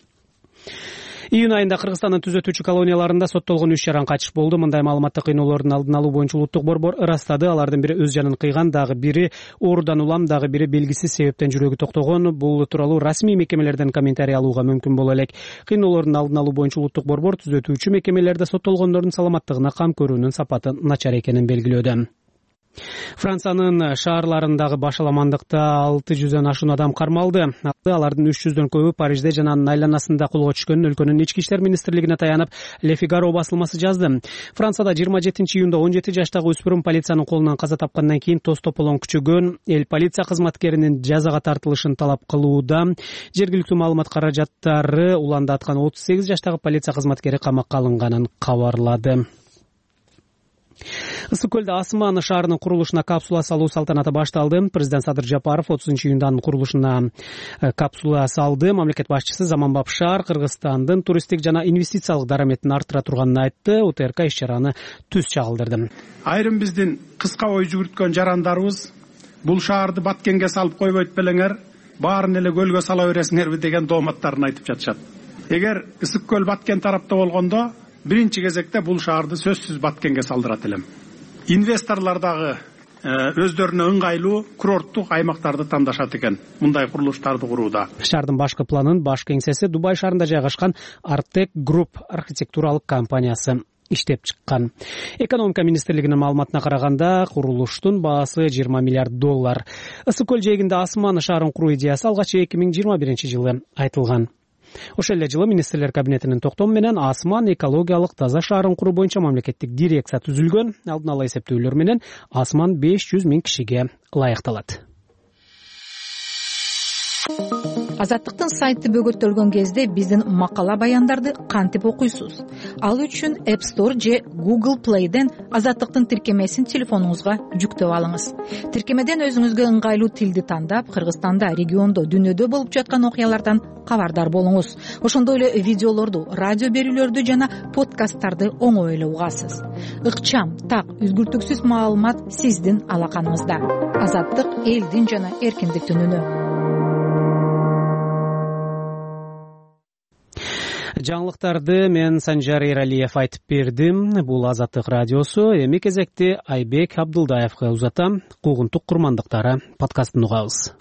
Июнь айында Кыргызстандын түзөтүүчү колонияларында соттолгон 3 жаран качыш болду. Мындай маалыматты кыйноолордун алдын алуу боюнча улуттук борбор ырастады. Алардын бири өз жанын кыйган, дагы бири оорудан улам, дагы бири белгисиз себептен жүрөгү токтогон. Бул тууралуу расмий мекемелерден комментарий алууга мүмкүн боло элек. Кыйноолордун алдын алуу боюнча улуттук борбор түзөтүүчү мекемелерде соттолгондордун саламаттыгына кам көрүүнүн сапаты начар экенин белгилөөдө. Франциянын шаарларындагы башаламандыкта 600дөн ашуун адам кармалды. Алардын 300дөн көбү Парижде жана анын айланасында колго түшкөнүн өлкөнүн ички иштер министрлигине таянып Le Figaro басылмасы жазды. Францияда 27-июнда 17 жаштагы өспүрүм полициянын колунан каза тапкандан кийин тоз тополоң күчөгөн. Эл полиция кызматкеринин жазага тартылышын талап кылууда. Жергиликтүү маалымат каражаттары уландаткан 38 жаштагы полиция кызматкери камакка алынганын кабарлады. Ысык көлдө Асман шаарынын курулушуна капсула салуу салтанаты башталды. Президент Садыр Жапаров 30-июнда анын курулушуна капсула салды. Мамлекет башчысы заманбап шаар Кыргызстандын туристтик жана инвестициялык дараметин арттыра турганын айтты. УТРК иш-чараны түз чагылдырды. Айрым биздин кыска ой жүгүрткөн жарандарыбыз бул шаарды Баткенге салып койбойт белеңер, баарын эле көлгө сала бересиңерби деген дооматтарын айтып жатышат. Эгер Ысык көл Баткен тарапта болгондо биринчи кезекте бул шаарды сөзсүз Баткенге салдырат элем. Инвесторлор дагы өздөрүнө ыңгайлуу курорттук аймактарды тандашат экен мындай курулуштарды курууда. Шаардын башкы планын баш кеңсеси Дубай шаарында жайгашкан Artec Group архитектуралык компаниясы иштеп чыккан. Экономика министрлигинин маалыматына караганда, курулуштун баасы $20 миллиард. Ысык көл жээгинде Асман шаарын куруу идеясы алгач 2021-жылы айтылган. Ошол эле жылы министрлер кабинетинин токтому менен Асман экологиялык таза шаарын куруу боюнча мамлекеттик дирекция түзүлгөн. Алдын ала эсептөөлөр менен Асман 500 000 кишиге ылайыкталат. Азаттыктын сайты бөгөттөлгөн кезде биздин макала баяндарды кантип окуйсуз? Ал үчүн App Store же Google Play'ден Азаттыктын тиркемесин телефонуңузга жүктөп алыңыз. Тиркемеден өзүңүзгө ыңгайлуу тилди тандап, Кыргызстанда, региондо, дүнүйдө болуп жаткан окуялардан кабардар болуңуз. Ошондой эле видеолорду, радио берүүлөрдү жана подкасттарды оңой эле угасыз. Ыкчам, так, үзгүртүксүз маалымат сиздин алаканыңызда. Азаттык элдин жана эркиндиктин үнү. Жаңылыктарды мен Санжар Эралиев айтып бердим. Бул Азаттык радиосу. Эми кезекти Айбек Абдылдаевге узатам. Куугунтук курмандыктары подкастын угабыз.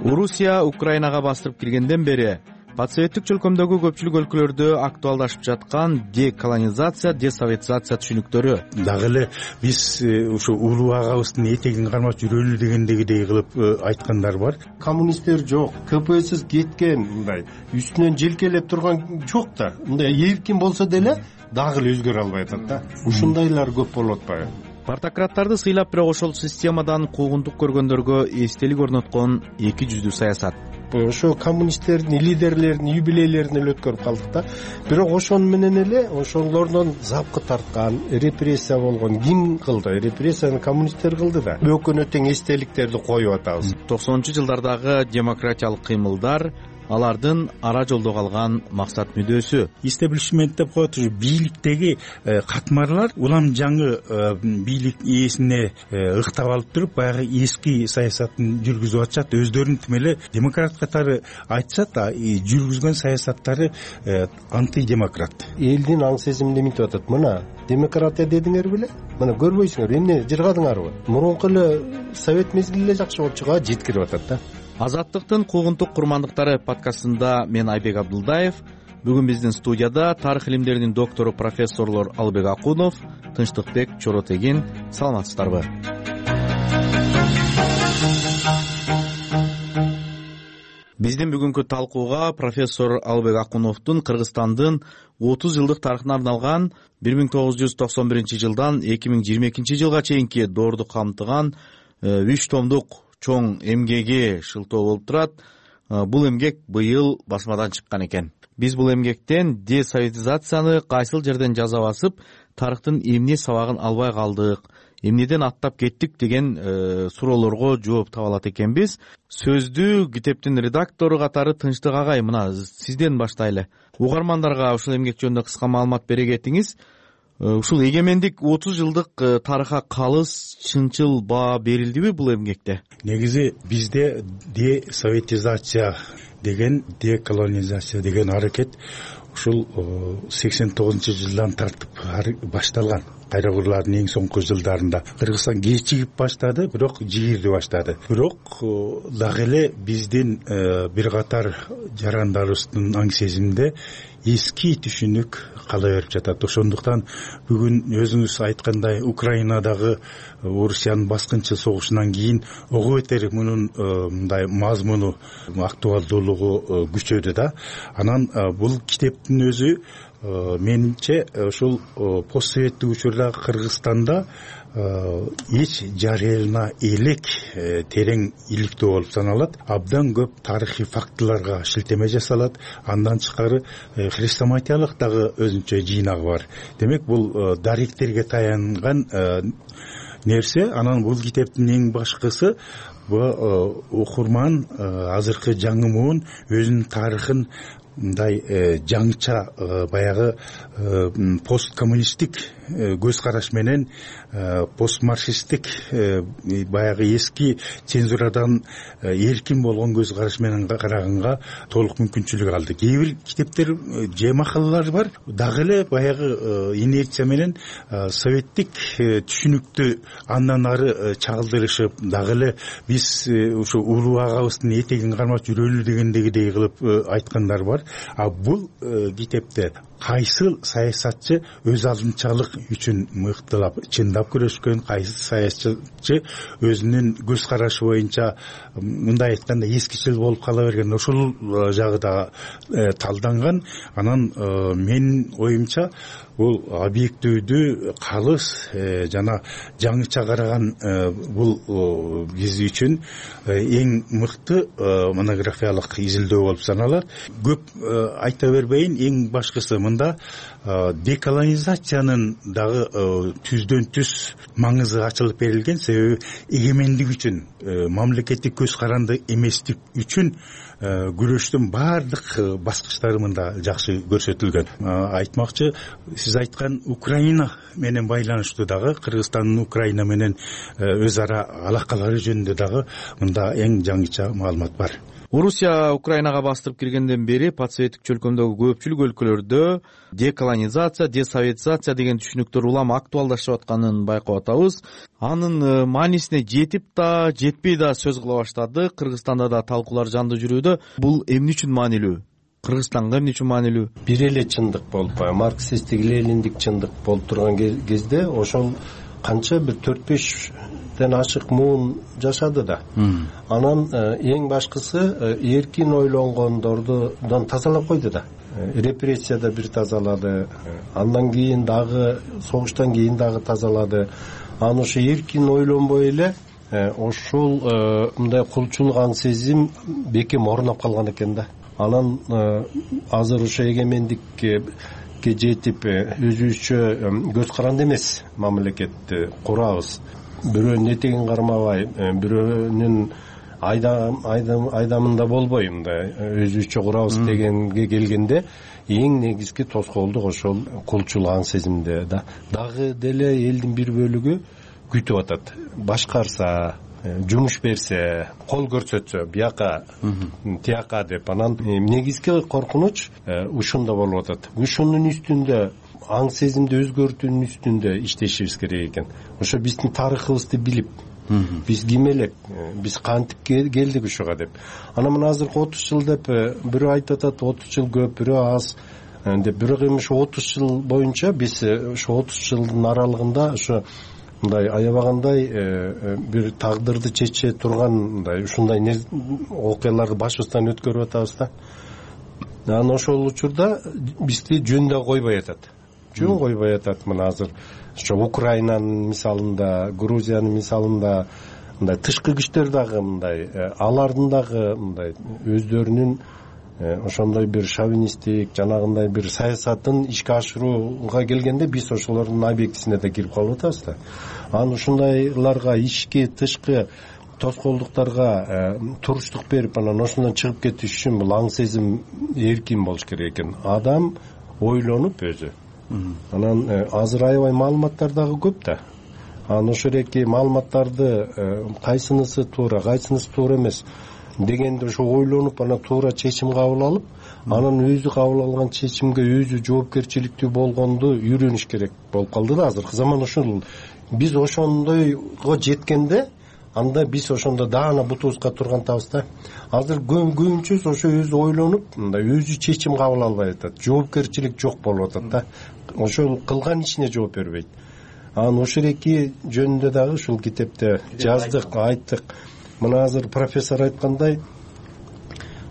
Орусия Украинага бастырып киргенден бери постсоветтик чөлкөмдөгү көпчүлүк өлкөлөрдө актуалдашып жаткан деколонизация, десоветизация түшүнүктөрү. Дагы эле биз ушу улуу агабыздын этегин кармап жүрөлү дегендегидей кылып айткандар бар. Коммунисттер жок, КПСС кеткен, мындай үстүнөн желкелеп турган жок да. Мындай эркин болсо деле дагы эле өзгөрө албай атат да. Ушундайлар көп болуп атпайбы? Партократтарды сыйлап, бирок ошол системадан куугунтук көргөндөргө эстелик орноткон эки жүздүү саясат. Ошо коммунисттердин лидерлеринин юбилейлерин эле өткөрүп калдык да. Бирок ошону менен эле ошолордон запкы тарткан, репрессия болгон ким кылды? Репрессияны коммунисттер кылды да. Өкүнө тең эстеликтерди коюп атабыз. 90-жылдардагы демократиялык кыймылдар алардын ара жолдо калган максат мүдөөсү. Истеблишмент деп коет, ушу бийликтеги катмарлар улам жаңы бийлик ээсине ыктап алып туруп баягы эски саясатын жүргүзүп атышат. Өздөрүн тим эле демократ катары айтышат, жүргүзгөн саясаттары антидемократ. Элдин аң сезиминде мынтип атат: мына демократия дедиңер беле, мына көрбөйсүңөр, эмне жыргадыңарбы? Мурунку эле совет мезгили эле жакшы болуп чыга жеткирип атат да. Азаттыктын куугунтук курмандыктары подкастында мен Айбек Абдулдаев. Бүгүн биздин студияда тарых илимдеринин доктору профессорлор Албек Акунов, Тынчтыкбек Чоротегин. Саламатсыздарбы? Биздин бүгүнкү талкууга профессор Албек Акуновдун Кыргызстандын 30 жылдык тарыхына арналган 1991 жылдан 2022 жылга чейинки доорду камтыган 3 томдук чоң эмгеги шылтоо болуп турат. Бул эмгек быйыл басмадан чыккан экен. Биз бул эмгектен десоветизацияны кайсыл жерден жаза басып, тарыхтын эмне сабагын албай калдык, эмнеден аттап кеттик деген суроолорго жооп таба алат экенбиз. Сөздү китептин редактору катары Тынчтык агай, мына сизден баштайлы. Угармандарга ушул эмгек жөнүндө кыска маалымат бере кетиңиз. Ушул эгемендик 30 жылдык тарыхка калыс, чынчыл баа берилдиби бул эмгекте? Негизи бизде десоветизация деген, деколонизация деген аракет ушул 89-жылдан тартып башталган. Кайрагурлардын эң соңку жылдарында Кыргызстан кечигип баштады, бирок жигирди баштады. Бирок дагы эле биздин бир катар жарандарыбыздын аң сезиминде эски түшүнүк кала берип жатат. Ошондуктан бүгүн өзүңүз айткандай Украинадагы Орусиянын баскынчы согушунан кийин ого бетер мунун мындай мазмуну, актуалдуулугу күчөдү да. Анан бул китептин өзү менимче ушул постсоветтик учурдагы Кыргызстанда эч жарыялана элек терең иликтөө болуп саналат. Абдан көп тарыхый фактыларга шилтеме жасалат. Андан тышкары хрестоматиялык дагы өзүнчө жыйнагы бар. Демек бул даректерге таянган нерсе. Анан бул китептин эң башкысы бул окурман азыркы жаңы муун өзүнүн тарыхын мындай жаңча баягы посткоммунисттик көз караш менен, постмарксисттик баягы эски цензурадан эркин болгон көз караш менен караганга толук мүмкүнчүлүк алды. Кээ бир китептер же макалалар бар, дагы эле баягы инерция менен советтик түшүнүктү андан ары чагылдырышып, дагы эле биз ушу улуу агабыздын этегин кармап жүрөлү дегендегидей кылып айткандар бар. А бул китепте кайсыл саясатчы өз алдынчалык үчүн мыктылап, чындап күрөшкөн, кайсы саясатчы өзүнүн көз карашы боюнча мындай айтканда эскичил болуп кала берген, ошол жагы да талданган. Анан менин оюмча бул объективдүү, калыс жана жаңыча караган бул биз үчүн эң мыкты монографиялык изилдөө болуп саналат. Көп айта бербейин, эң башкысы мында деколонизациянын дагы түздөн түз маңызы ачылып берилген. Себеби эгемендик үчүн, мамлекеттик көз каранды эместик үчүн күрөштүн баардык баскычтары мында жакшы көрсөтүлгөн. Айтмакчы, сиз айткан Украина менен байланыштуу дагы, Кыргызстандын Украина менен өз ара алакалары жөнүндө дагы мында эң жаңыча маалымат бар. Орусия Украинага бастырып киргенден бери постсоветтик чөлкөмдөгү көпчүлүк өлкөлөрдө деколонизация, десоветизация деген түшүнүктөр улам актуалдашып атканын байкап атабыз. Анын маанисине жетип да, жетпей да сөз кыла баштады. Кыргызстанда да талкуулар жанды жүрүүдө. Бул эмне үчүн маанилүү? Кыргызстанга эмне үчүн маанилүү? Бир эле чындык болуп, марксисттик, лениндик чындык болуп турган кезде ошол канча бир 4-5 ашык муун жашады да. Анан эң башкысы эркин ойлонгондордон тазалап койду да. Репрессияда бир тазалады, андан кийин дагы согуштан кийин дагы тазалады. Анан ошо эркин ойлонбой эле ошол мындай кулчулук аң сезим бекем орноп калган экен да. Анан азыр ошо эгемендикке жетип өзүбүзчө көз каранды эмес мамлекетти курабыз. Бирөөнүн этегин кармабай, бирөөнүн айдамында болбой мындай өзүбүзчө курабыз дегенге келгенде эң негизги тоскоолдук ошол кулчулук аң сезимде дагы деле элдин бир бөлүгү күтүп атат. Башкарса, жумуш берсе, кол көрсөтсө бияка тияка деп, анан негизги коркунуч ушунда болуп атат. Ушунун үстүндө аң сезимди өзгөртүүнүн үстүндө иштешибиз керек экен. Ошо биздин тарыхыбызды билип, биз ким элек, биз кантип келдик ушуга деп. Анан мына азыркы 30 жыл деп бирөө айтып атат, 30 жыл көп, бирөө аз деп. Бирок эми ошо 30 жыл боюнча биз ошо 30 жылдын аралыгында ошо мындай аябагандай бир тагдырды чече турган мындай ушундай окуяларды башыбыздан өткөрүп атабыз да. Анан ошол учурда бизди жөн койбой атат. Жөн койбой атат. Мына азыр ошо Украинанын мисалында, Грузиянын мисалында мындай тышкы күчтөр дагы мындай алардын дагы мындай өздөрүнүн ошондой бир шовинисттик жанагындай бир саясатын ишке ашырууга келгенде биз ошолордун объектисине да кирип калып атабыз да. Анан ушундайларга ички тышкы тоскоолдуктарга туруштук берип, анан ошондон чыгып кетиш үчүн бул аң сезим эркин болуш керек экен. Адам ойлонуп өзү. Анан азыр аябай маалыматтар дагы көп да. Анан ошол эки маалыматтарды кайсынысы туура, кайсынысы туура эмес дегенде ошо ойлонуп, анан туура чечим кабыл алып, анан өзү кабыл алган чечимге өзү жоопкерчиликтүү болгонду үйрөнүш керек болуп калды да азыркы заман. Ошол биз ошондойго жеткенде анда биз ошондо даана бутубузга тургантабыз да. Азыр көбүнчөсү ошо өзү ойлонуп, мындай өзү чечим кабыл албай атат. Жоопкерчилик жок болуп атат да. Ошол кылган ишине жооп бербейт. Анан ошол эки жөнүндө дагы ушул китепте жаздык, айттык. Мына азыр профессор айткандай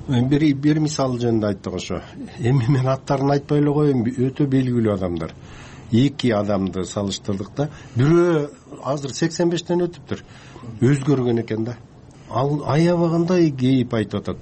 бир мисал жөнүндө айттык ошо. Эми мен аттарын айтпай эле коеюн, өтө белгилүү адамдар. Эки адамды салыштырдык да. Бирөө азыр 85тен өтүптүр. Өзгөргөн экен да. Ал аябагандай кейип айтып атат.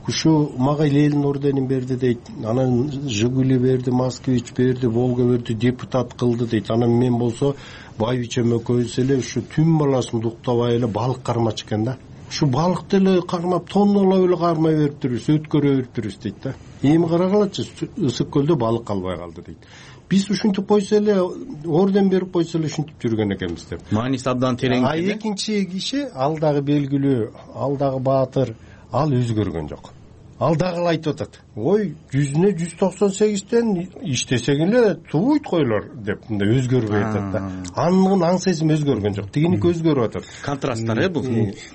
Ушу мага Ленин орденин берди дейт. Анан Жигули берди, Москвич берди, Волга берди, депутат кылды дейт. Анан мен болсо байбичем экөөбүз эле ушу түн баласын уктабай эле балык кармачы экен да. Ушу балыкты эле кармап, тоннолоп эле кармай бериптирбиз, өткөрө бериптирбиз дейт да. Эми карагалачы, ысык көлдө балык калбай калды дейт. Биз ушинтип койсо эле, орден берип койсо эле ушинтип жүргөн экенбиз деп. Мааниси абдан терең. Экинчи киши, ал дагы белгилүү, ал дагы баатыр, ал өзгөргөн жок. Ал дагы айтып атат. Ой, 100-не 198тен иштесең эле туйт койлор деп мындай өзгөрбөй атат да. Анын аң сезим өзгөргөн жок. Тигиники өзгөрүп атат. Контрасттар бул.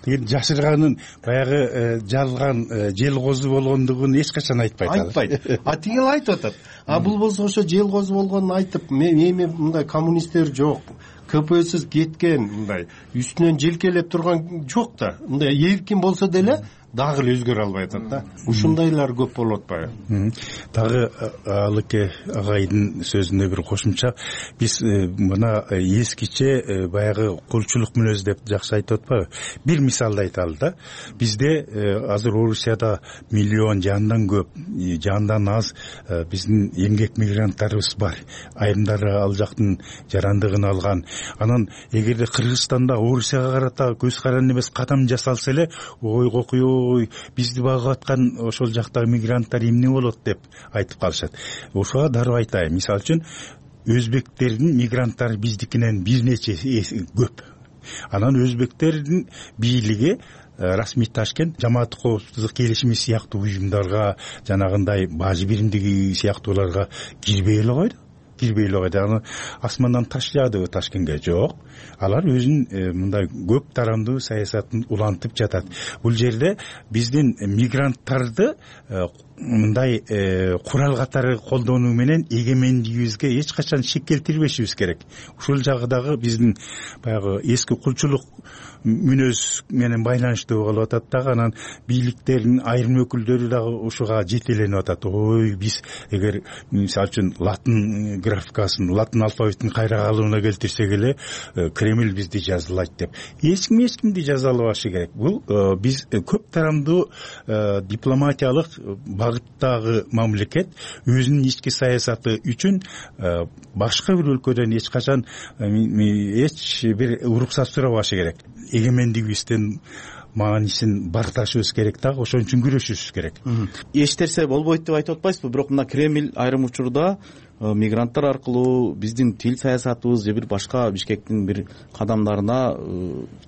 Тиги жашырганын баягы жалган жел козу болгондугун эч качан айтпайт. Айтпайт. А тиги айтып атат. А бул болсо ошо жел козу болгонун айтып, эми мындай коммунисттер жок. КПСС кеткен мындай үстүнөн желкелеп турган жок да. Мындай эркин болсо деле дагы эле өзгөрө албай атат да. Ушундайлар көп болуп атпайбы? Дагы Алыке агайдын сөзүнө бир кошумча, биз мына эскиче баягы кулчулук мүнөз деп жакшы айтып атпайбы? Бир мисалды айталы да. Бизде азыр Орусияда миллион жандан көп, жандан аз биздин эмгек мигранттарыбыз бар. Айрымдары ал жактын жарандыгын алган. Анан эгерде Кыргызстанда Орусияга карата көз каранды эмес кадам жасалса эле, ой кокуй, бизди багып аткан ошол жактагы мигранттар эмне болот деп айтып калышат. Ошого дароо айтайын. Мисалы үчүн өзбектердин мигранттары биздикинен бир нече көп. Анан өзбектердин бийлиги расмий Ташкент жамаат коопсуздук келишими сыяктуу уюмдарга, жанагындай бажы биримдиги сыяктууларга кирбей эле койду. Анан асмандан таш жаадыбы Ташкентке? Жок. Алар өзүнүн мындай көп тарамдуу саясатын улантып жатат. Бул жерде биздин мигранттарды мындай курал катары колдонуу менен эгемендигибизге эч качан шек келтирбешибиз керек. Ушул жагы дагы биздин баягы эски кулчулук мүнөз менен байланыштуу болуп атат дагы. Анан бийликтердин айрым өкүлдөрү дагы ушуга жетеленип атат. Ой, биз эгер мисалы үчүн латын графикасын, латын алфавитин кайра калыбына келтирсек эле Кремль бизди жазалайт деп. Эч кимди жазалабашы керек. Бул биз көп тарамдуу дипломатиялык багыттагы мамлекет өзүнүн ички саясаты үчүн башка бир өлкөдөн эч качан эч бир уруксат сурабашы керек. Эгемендигибизден маанисин барташыбыз керек дагы, ошон үчүн күрөшүшүбүз керек. Эч нерсе болбойт деп айтып атпайсызбы? Бирок мына Кремль айрым учурда мигранттар аркылуу биздин тил саясатыбыз же бир башка Бишкектин бир кадамдарына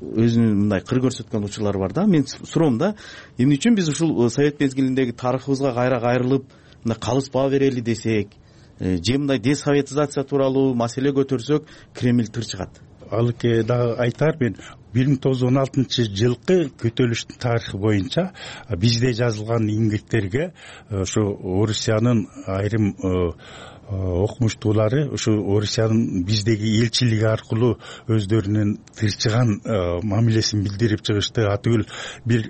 өзүнүн мындай кыр көрсөткөн учурлар бар да. Мен суроом да, эмне үчүн биз ушул совет мезгилиндеги тарыхыбызга кайра кайрылып мындай калыспа берели десек, же мындай десоветизация тууралуу маселе көтөрсөк, Кремль тыр чыгат. Алыке дагы айтар, мен 1916-жылкы көтөрүлүштүн тарыхы боюнча бизде жазылган иңгектерге ошо Орусиянын айрым окумуштуулары ушу Орусиянын биздеги элчилиги аркылуу өздөрүнүн тырчыган мамилесин билдирип чыгышты. Атүгүл бир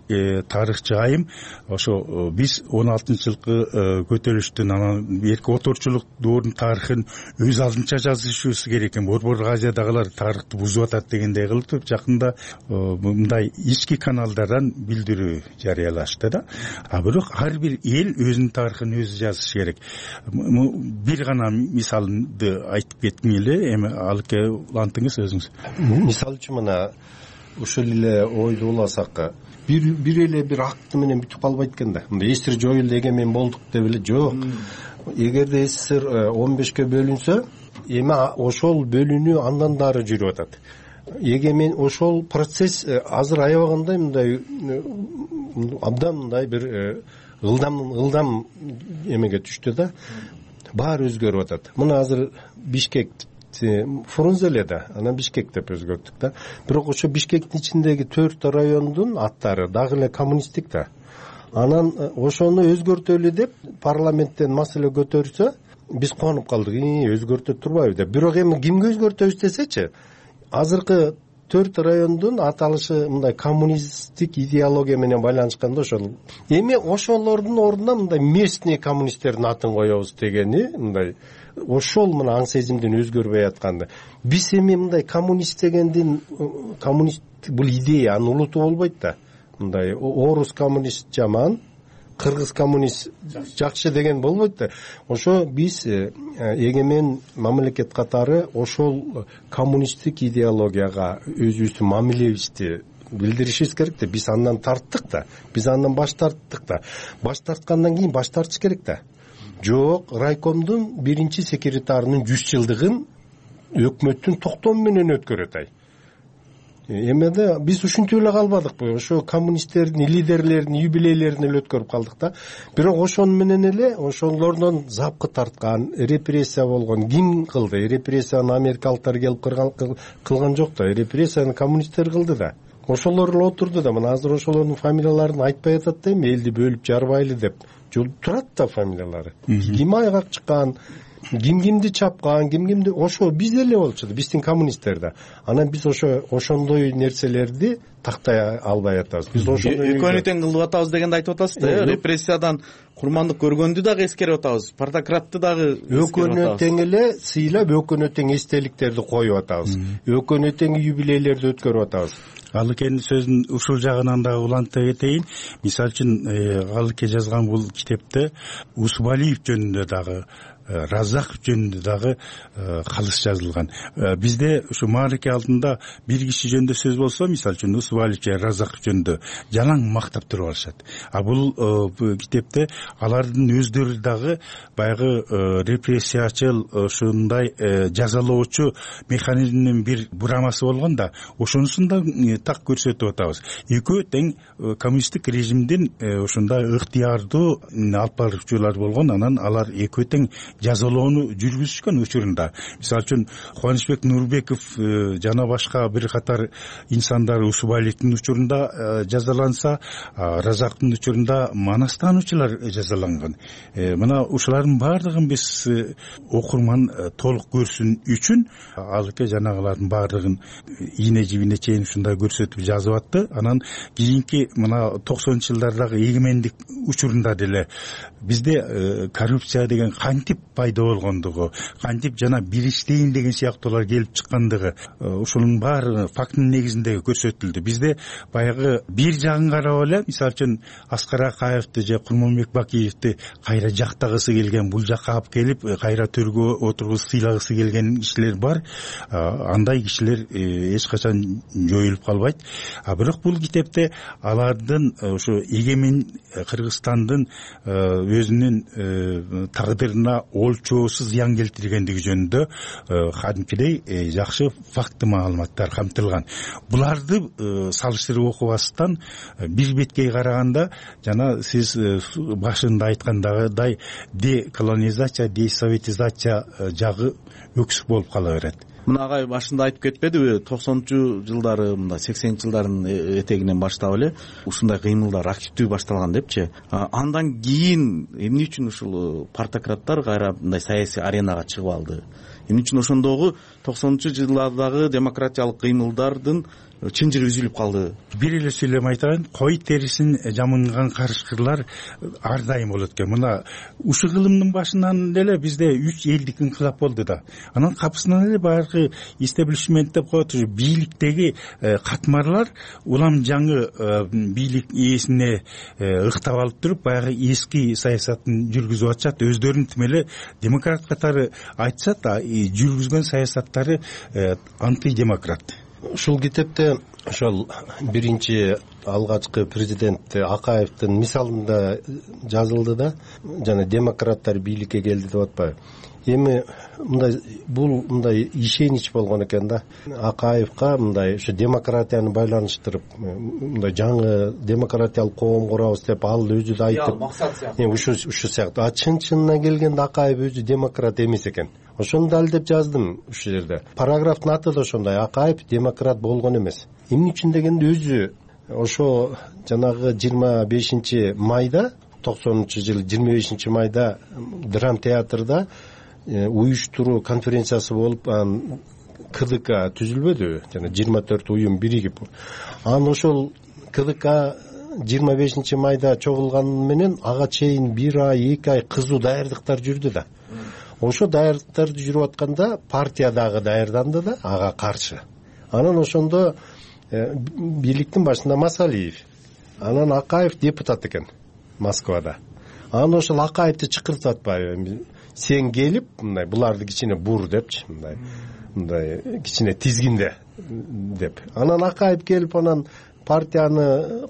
тарыхчы айым ошо биз 16-жылкы көтөрүлүштүн анан эрки оторчулук доорунун тарыхын өз алдынча жазышыбыз керек экен. Борбордук Азиядагылар тарыхты бузуп атат дегендей кылып жакында мындай ички каналдардан билдирүү жарыялашты да. Бирок ар бир эл өзүнүн тарыхын өзү жазышы керек. Бир гана мисалды айтып кетким эле, эми Алыке улантыңыз өзүңүз. Мисалы үчүн мына ушул эле ойду уласак, бир эле бир акты менен бүтүп калбайт экен да. Мындай СССР жоюлду, эгемен болдук деп эле жок. Эгерде СССР 15ке бөлүнсө, эми ошол бөлүнүү андан дары жүрүп атат. Эгемен ошол процесс азыр аябагандай мындай абдан мындай бир ылдам эмеге түштү да. Баары өзгөрүп атат. Мына азыр Бишкек Фрунзе эле да, анан Бишкек деп өзгөрттүк да. Бирок ошо Бишкектин ичиндеги 4 райондун аттары дагы эле коммунисттик да. Анан ошону өзгөртөлү деп парламенттен маселе көтөрсө, биз кубанып калдык. Өзгөртө турбайбы деп. Бирок эми кимге өзгөртөбүз десечи, азыркы 4 райондун аталышы мындай коммунисттик идеология менен байланышканда ошол. Эми ошолордун ордуна мындай местный коммунисттердин атын коебуз дегени мындай ошол мына аң сезимдин өзгөрбөй атканды. Биз эми мындай коммунист дегендин коммунист бул идея, анын улуту болбойт да. Мындай орус коммунист жаман, кыргыз коммунист жакшы деген болбойт да. Ошо биз эгемен мамлекет катары ошол коммунисттик идеологияга өзүбүздүн мамилебизди билдиришибиз керек да. Биз андан тарттык да. Биз андан баш тарттык да. Баш тарткандан кийин баш тартыш керек да. Жок, райкомдун биринчи секретарынын 100 жылдыгын өкмөттүн токтому менен өткөрөт ай. Эмеде биз ушинтип эле калбадыкпы? Ошо коммунисттердин лидерлеринин юбилейлерин эле өткөрүп калдык да. Бирок ошон менен эле ошолордон запкы тарткан, репрессия болгон ким кылды? Репрессияны америкалыктар келип кылган жок да. Репрессияны коммунисттер кылды да. Ошолор эле отурду да. Мына азыр ошолордун фамилияларын айтпай атат да, эми элди бөлүп жарбайлы деп. Турат да фамилиялары. Ким айгак чыккан, кимди чапкан, кимди ошо биз эле болчу да, биздин коммунисттер да. Анан биз ошондой нерселерди тактай албай атабыз. Биз ошондой экөөнү тең кылып атабыз дегенди айтып атасыз да. Репрессиядан курмандык көргөндү дагы эскерип атабыз, Партократты дагы экөөнү тең эле сыйлап, экөөнү тең эстеликтерди коюп атабыз, экөөнү тең юбилейлерди өткөрүп атабыз. Алыкенин сөзүн ушул жагынан дагы уланта кетейин. Мисалы үчүн Алыке жазган бул китепте Усубалиев жөнүндө дагы, Раззаков жөнүндө дагы калыс жазылган. Бизде ушу маареке алдында бир киши жөнүндө сөз болсо, мисалы үчүн Усубалиев же Раззаков жөнүндө жалаң мактап туруп алышат. Бул китепте алардын өздөрү дагы баягы репрессиячыл, ушундай жазалоочу механизмдин бир бурамасы болгон да, ошонусун да так көрсөтүп атабыз. Экөө тең коммунисттик режимдин ушундай ыктыярдуу алып баруучулар болгон, анан алар экөө тең жазалоону жүргүзүшкөн учурунда. Мисалы үчүн Кубанычбек Нурбеков жана башка бир катар инсандар Усубалиевдин учурунда жазаланса, Разаковдун учурунда манастануучулар жазаланган. Мына ушулардын баардыгын биз окурман толук көрсүн үчүн Алыке жанагылардын баардыгын ийне жибине чейин ушундай көрсөтүп жазып атты. Анан кийинки мына 90-жылдардагы эгемендик учурунда деле бизде коррупция деген кантип пайда болгондугу, кантип жана бириштейин деген сыяктуулар келип чыккандыгы, ушунун баары фактынын негизинде көрсөтүлдү. Бизде баягы бир жагын карап эле, мисалы үчүн Аскар Акаевди же Курманбек Бакиевди кайра жактагысы келген, бул жакка алып келип кайра төргө отургузуп сыйлагысы келген кишилер бар. Андай кишилер эч качан жоюлуп калбайт. Бирок бул китепте алардын ушу эгемен Кыргызстандын өзүнүн тагдырына олчоосуз зыян келтиргендиги жөнүндө кадимкидей жакшы факты маалыматтар камтылган. Буларды салыштырып окубастан бир беткей караганда жана сиз башында айткандагыдай деколонизация, десоветизация жагы өксүк болуп кала берет. Мына агай башында айтып кетпедиби, 90 жылдары, мында 80 жылдардын этегинен баштап эле ушундай кыймылдар активдүү башталган депчи. Андан кийин эмне үчүн ушул партократтар кайра мындай саясий аренага чыгып алды? Эмне үчүн ошондогу 90 жылдардагы демократиялык кыймылдардын чынжыры үзүлүп калды? Бир эле сүйлөм айтайын, кой терисин жамынган карышкырлар ар дайым болот экен. Мына ушул кылымдын башынан эле бизде 3 элдик инкылап болду да. Анан капысынан эле баягы истеблишмент деп коет, бийликтеги катмарлар улам жаңы бийлик ээсине ыктап алып туруп, баягы эски саясатын жүргүзүп атышат. Өздөрүн тим эле демократ катары айтышат, жүргүзгөн саясаттары антидемократ. Ушул китепте ошол биринчи алгачкы президент Акаевдин мисалында жазылды да, жана демократтар бийликке келди деп атпайбы. Эми мындай ишенич болгон экен да. Акаевга мындай ушу демократияны байланыштырып, мындай жаңы демократиялык коом курабыз деп ал өзү да айтып, ушу сыяктуу. Чын-чынына келгенде Акаев өзү демократ эмес экен. Ошону далилдеп жаздым ушул жерде. Параграфтын аты да ошондой: Акаев демократ болгон эмес. Эмне үчүн дегенде өзү ошо жанагы 25 майда 90-жыл 25 майда драм театрда уюштуруу конференциясы болуп, КДК түзүлбөдүбү? Жана 24 уюм биригип. Ошол КДК 25 майда чогулган менен ага чейин 1 ай, 2 ай кызуу даярдыктар жүрдү да. Ошо даярдыктарды жүрүп атканда партия дагы даярданды да ага каршы. Анан ошондо бийликтин башында Масалиев, анан Акаев депутат экен Москвада. Анан ошол Акаевди чакыртып атпайбы? Сен келип, мындай буларды кичине бур депчи, мындай кичине тизгинде деп. Анан Акаев келип, анан партияны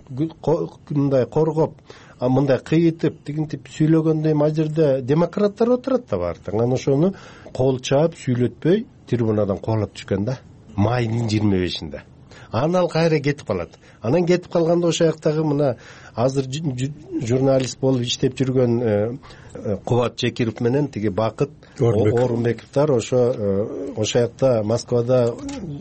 мындай коргоп, мындай кыйытып, тигинтип сүйлөгөндө ал жерде демократтар отурат да бар. Анан ошону кол чаап, сүйлөтпөй трибунадан кубалап түшкөн да. Майдын 25-inde. Анан ал кайра кетип калат. Анан кетип калганда ошол жактагы мына азыр журналист болуп иштеп жүргөн Кубат Чекиров менен тиги Бакыт Орунбековдор ошо жакта Москвада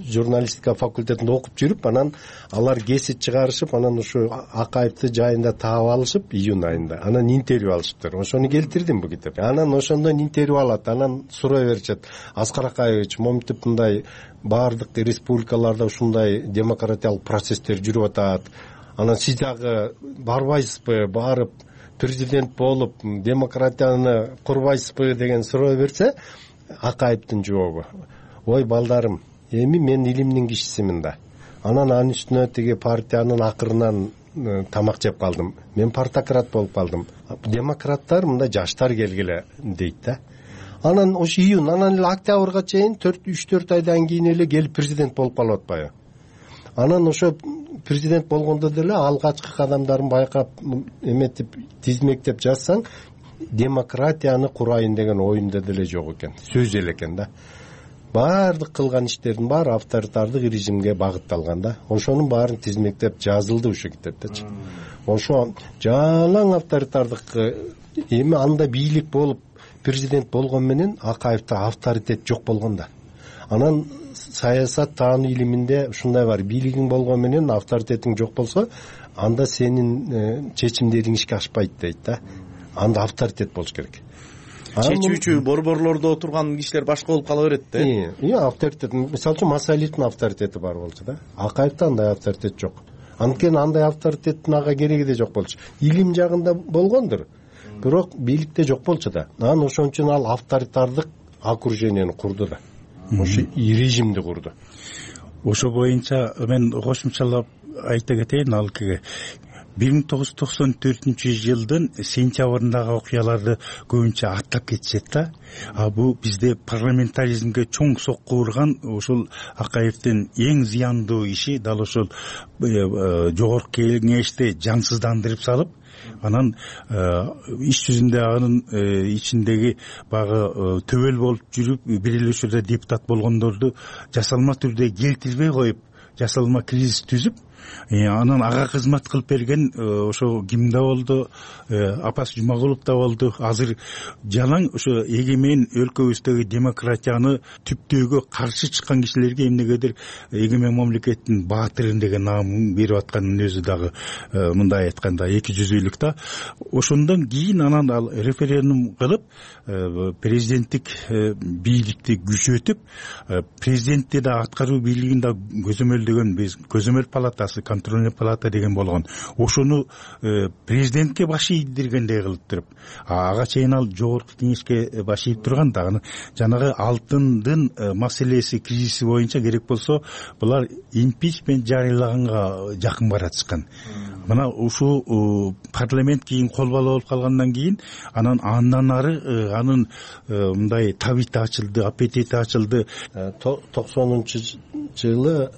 журналистика факультетинде окуп жүрүп, анан алар кесип чыгарышып, анан ушу Акаевди жайында таап алышып июнь айында. Анан интервью алышыптыр. Ошону келтирдим бу китепке. Анан ошондон интервью алат, анан сурай беришет: Аскар Акаевич, моминтип мындай баардык республикаларда ушундай демократиялык процесстер жүрүп атат. Анан сиз дагы барбайсызбы, барып президент болуп демократияны курбайсызбы деген суроо берсе, Акаевдин жообу: ой балдарым, эми мен илимдин кишисимин да. Анан анын үстүнө тиги партиянын акырынан тамак жеп калдым. Мен партократ болуп калдым. Демократтар мындай жаштар келгиле дейт да. Анан ошо июнь, анан эле октябрга чейин 3-4 айдан кийин эле келип президент болуп калып атпайбы? Анан ошо президент болгондо деле алгачкы кадамдарын байкап эметип тизмектеп жазсаң, демократияны курайын деген оюнда деле жок экен, сөз эле экен да. Баардык кылган иштердин баары авторитардык режимге багытталган да. Ошонун баарын тизмектеп жазылды ушул китептечи. Ошо жалаң авторитардык, эми анда бийлик болуп президент болгон менен Акаевда авторитет жок болгон да. Анан саясат таануу илиминде ушундай бар: бийлигиң болгон менен авторитетиң жок болсо, анда сенин чечимдериң ишке ашпайт дейт да. Анда авторитет болуш керек. Чечүүчү борборлордо отурган кишилер башка болуп кала берет да. Авторитет, мисалы үчүн Масалиевдин авторитети бар болчу да. Акаевда андай авторитет жок. Анткени андай авторитеттин ага кереги да жок болчу. Илим жагында болгондур. бирок бийликте жок болчу да. Анан ошон үчүн ал авторитардык окружениени курду да, ошо режимди курду. Ошо боюнча мен кошумчалап айта кетейин. Ал 1994 сентябрындагы окуяларды көбүнчө аттап кетишет да. Бул бизде парламентаризмге чоң сокку урган ушул Акаевдин эң зыяндуу иши дал ошол жогорку кеңешти жансыздандырып салып, анан иш жүзүндө анын ичиндеги баягы төбөл болуп жүрүп бир эле учурда депутат болгондорду жасалма түрдө келтирбей коюп, жасалма кризис түзүп, анан ага кызмат кылып берген ошо ким да болду, Апас Жумагулов да болду. Азыр жалаң ошо эгемен өлкөбүздөгү демократияны түптөөгө каршы чыккан кишилерге эмнегедир эгемен мамлекеттин баатыры деген наамын берип атканын өзү дагы мындай айтканда эки жүзүлүк да. Ошондон кийин анан ал референдум кылып президенттик бийликти күчөтүп, президентти да аткаруу бийлигин да көзөмөлдөгөн биз көзөмөл палатасы, контрольный палата деген болгон. Ошону президентке баш ийдиргендей кылып туруп, ага чейин ал жогорку кеңешке баш ийип турган да. Жанагы алтындын маселеси, кризиси боюнча керек болсо булар импичмент жарыялаганга жакын баратышкан. Мына ушул парламент кийин кол бала болуп калгандан кийин андан ары анын мындай табити ачылды, аппетити ачылды. 90-жылы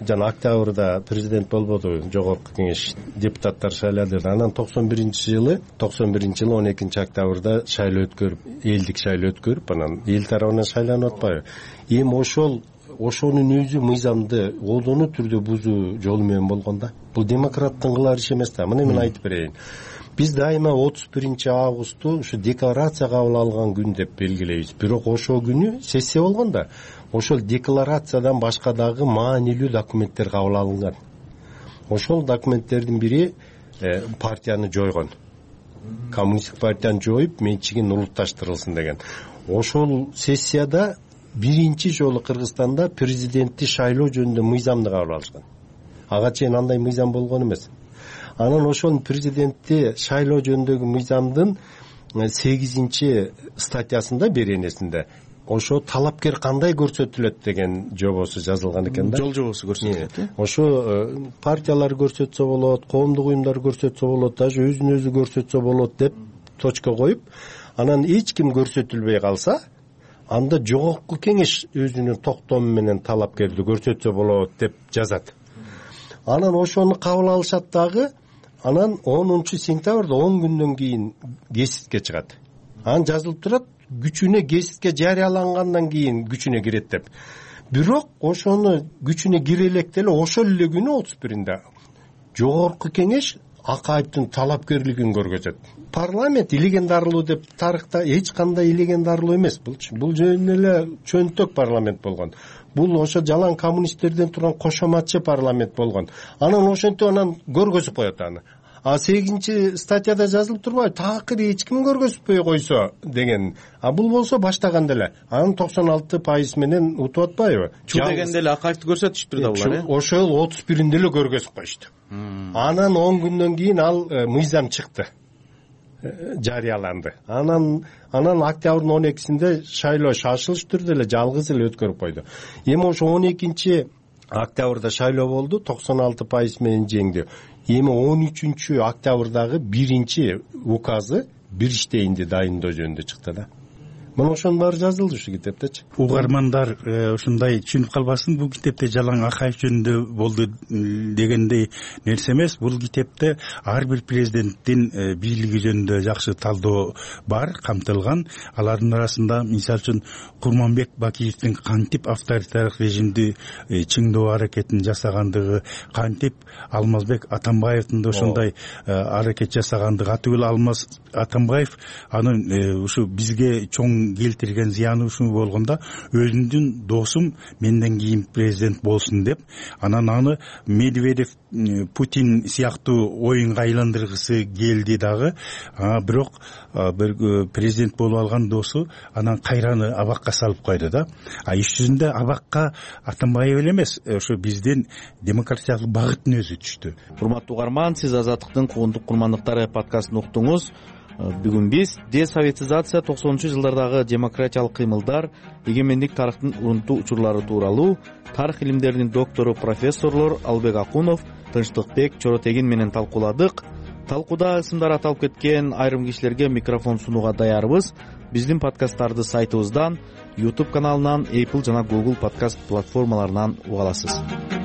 жана октябрда президент болбоду, жогорку кеңеш депутаттар шайлады. Анан 91-жылы 12 октябрда шайлоо өткөрүп, элдик шайлоо өткөрүп, анан эл тарабынан шайланып атпайбы? Эми ошонун өзү мыйзамды колдонуу түрдө бузуу жолу менен болгон да. Бул демократтын кылар иши эмес да. Мына мен айтып берейин. Биз дайыма 31 августту ушу декларация кабыл алган күн деп белгилейбиз. Бирок ошол күнү сессия болгон да. Ошол декларациядан башка дагы маанилүү документтер кабыл алынган. Ошол документтердин бири партияны жойгон. Коммунисттик партияны жоюп, менчигин улутташтырылсын деген. Ошол сессияда биринчи жолу Кыргызстанда президентти шайлоо жөнүндө мыйзамды кабыл алышкан. Ага чейин андай мыйзам болгон эмес. Анан ошол президентти шайлоо жөнүндөгү мыйзамдын 8 статьясында, беренесинде ошо талапкер кандай көрсөтүлөт деген жобосу жазылган экен да. Жол жобосу көрсөтүлөт. Ошо партиялар көрсөтсө болот, коомдук уюмдар көрсөтсө болот, даже өзүн өзү көрсөтсө болот деп точка коюп, анан эч ким көрсөтүлбөй калса, анда жогорку кеңеш өзүнүн токтому менен талапкерди көрсөтсө болот деп жазат. Анан ошону кабыл алышат дагы. Анан 10 сентябрда 10 күндөн кийин гезитке чыгат. Анан жазылып турат, күчүнө гезитке жарыялангандан кийин күчүнө кирет деп. Бирок ошону күчүнө кире электе эле ошол эле күнү 31-нде жогорку кеңеш Акаевдин талапкерлигин көргөзөт. Парламент илеген дарылуу деп тарыхта эч кандай илеген дарылуу эмес. Бул жөн эле чөнтөк парламент болгон. Бул ошо жалаң коммунисттерден турган кошоматчы парламент болгон. Анан ошентип анан көргөзүп коет аны. 8 статьяда жазылып турбайбы? Такыр эч ким көргөзбөй койсо деген. Бул болсо баштаганда эле. Анан 96% менен утуп атпайбы? Чу дегенде эле Акаевди көрсөтүштүр да булар. Ошол 31-нде эле көргөзүп коюшту. Анан 10 күндөн кийин ал мыйзам чыкты. Жарыяланды. Анан октябрдын 12-синде шайлоо шашылыш түрдө эле жалгыз эле өткөрүп койду. Эми ошо 12 октябрда шайлоо болду, 96% менен жеңди. Эми 13 октябрдагы биринчи указы бир иштейинди дайындоо жөнүндө чыкты да. Мына ошонун баары жазылды ушу китептечи. Угармандар ушундай түшүнүп калбасын, бул китепте жалаң Акаев жөнүндө болду дегендей нерсе эмес. Бул китепте ар бир президенттин бийлиги жөнүндө жакшы талдоо бар, камтылган. Алардын арасында мисалы үчүн Курманбек Бакиевдин кантип авторитардык режимди чыңдоо аракетин жасагандыгы, кантип Алмазбек Атамбаевдин да ошондой аракет жасагандыгы, атүгүл Алмаз Атамбаев анын ушу бизге чоң келтирген зыяны ушул болгондо, өзүмдүн досум менден кийин президент болсун деп, анан аны Медведев, Путин сыяктуу оюнга айландыргысы келди дагы. Бирок бир президент болуп алган досу анан кайраны абакка салып койду да. Иш жүзүндө абакка Атамбаев эле эмес, ошо биздин демократиялык багыттын өзү түштү. Урматтуу угарман, сиз Азаттыктын Куугунтук курмандыктары подкастын уктуңуз. Бүгүн биз десоветизация 90-жылдардагы демократиялык кыймылдар, эгемендик тарыхтын урунтуу учурлары тууралуу тарых илимдеринин доктору профессорлор Албек Акунов, Тынчтыкбек Чоротегин менен талкууладык. Талкууда ысымдар аталып кеткен айрым кишилерге микрофон сунууга даярбыз. Биздин подкасттарды сайтыбыздан, YouTube каналынан, Apple жана Google подкаст платформаларынан уга аласыз.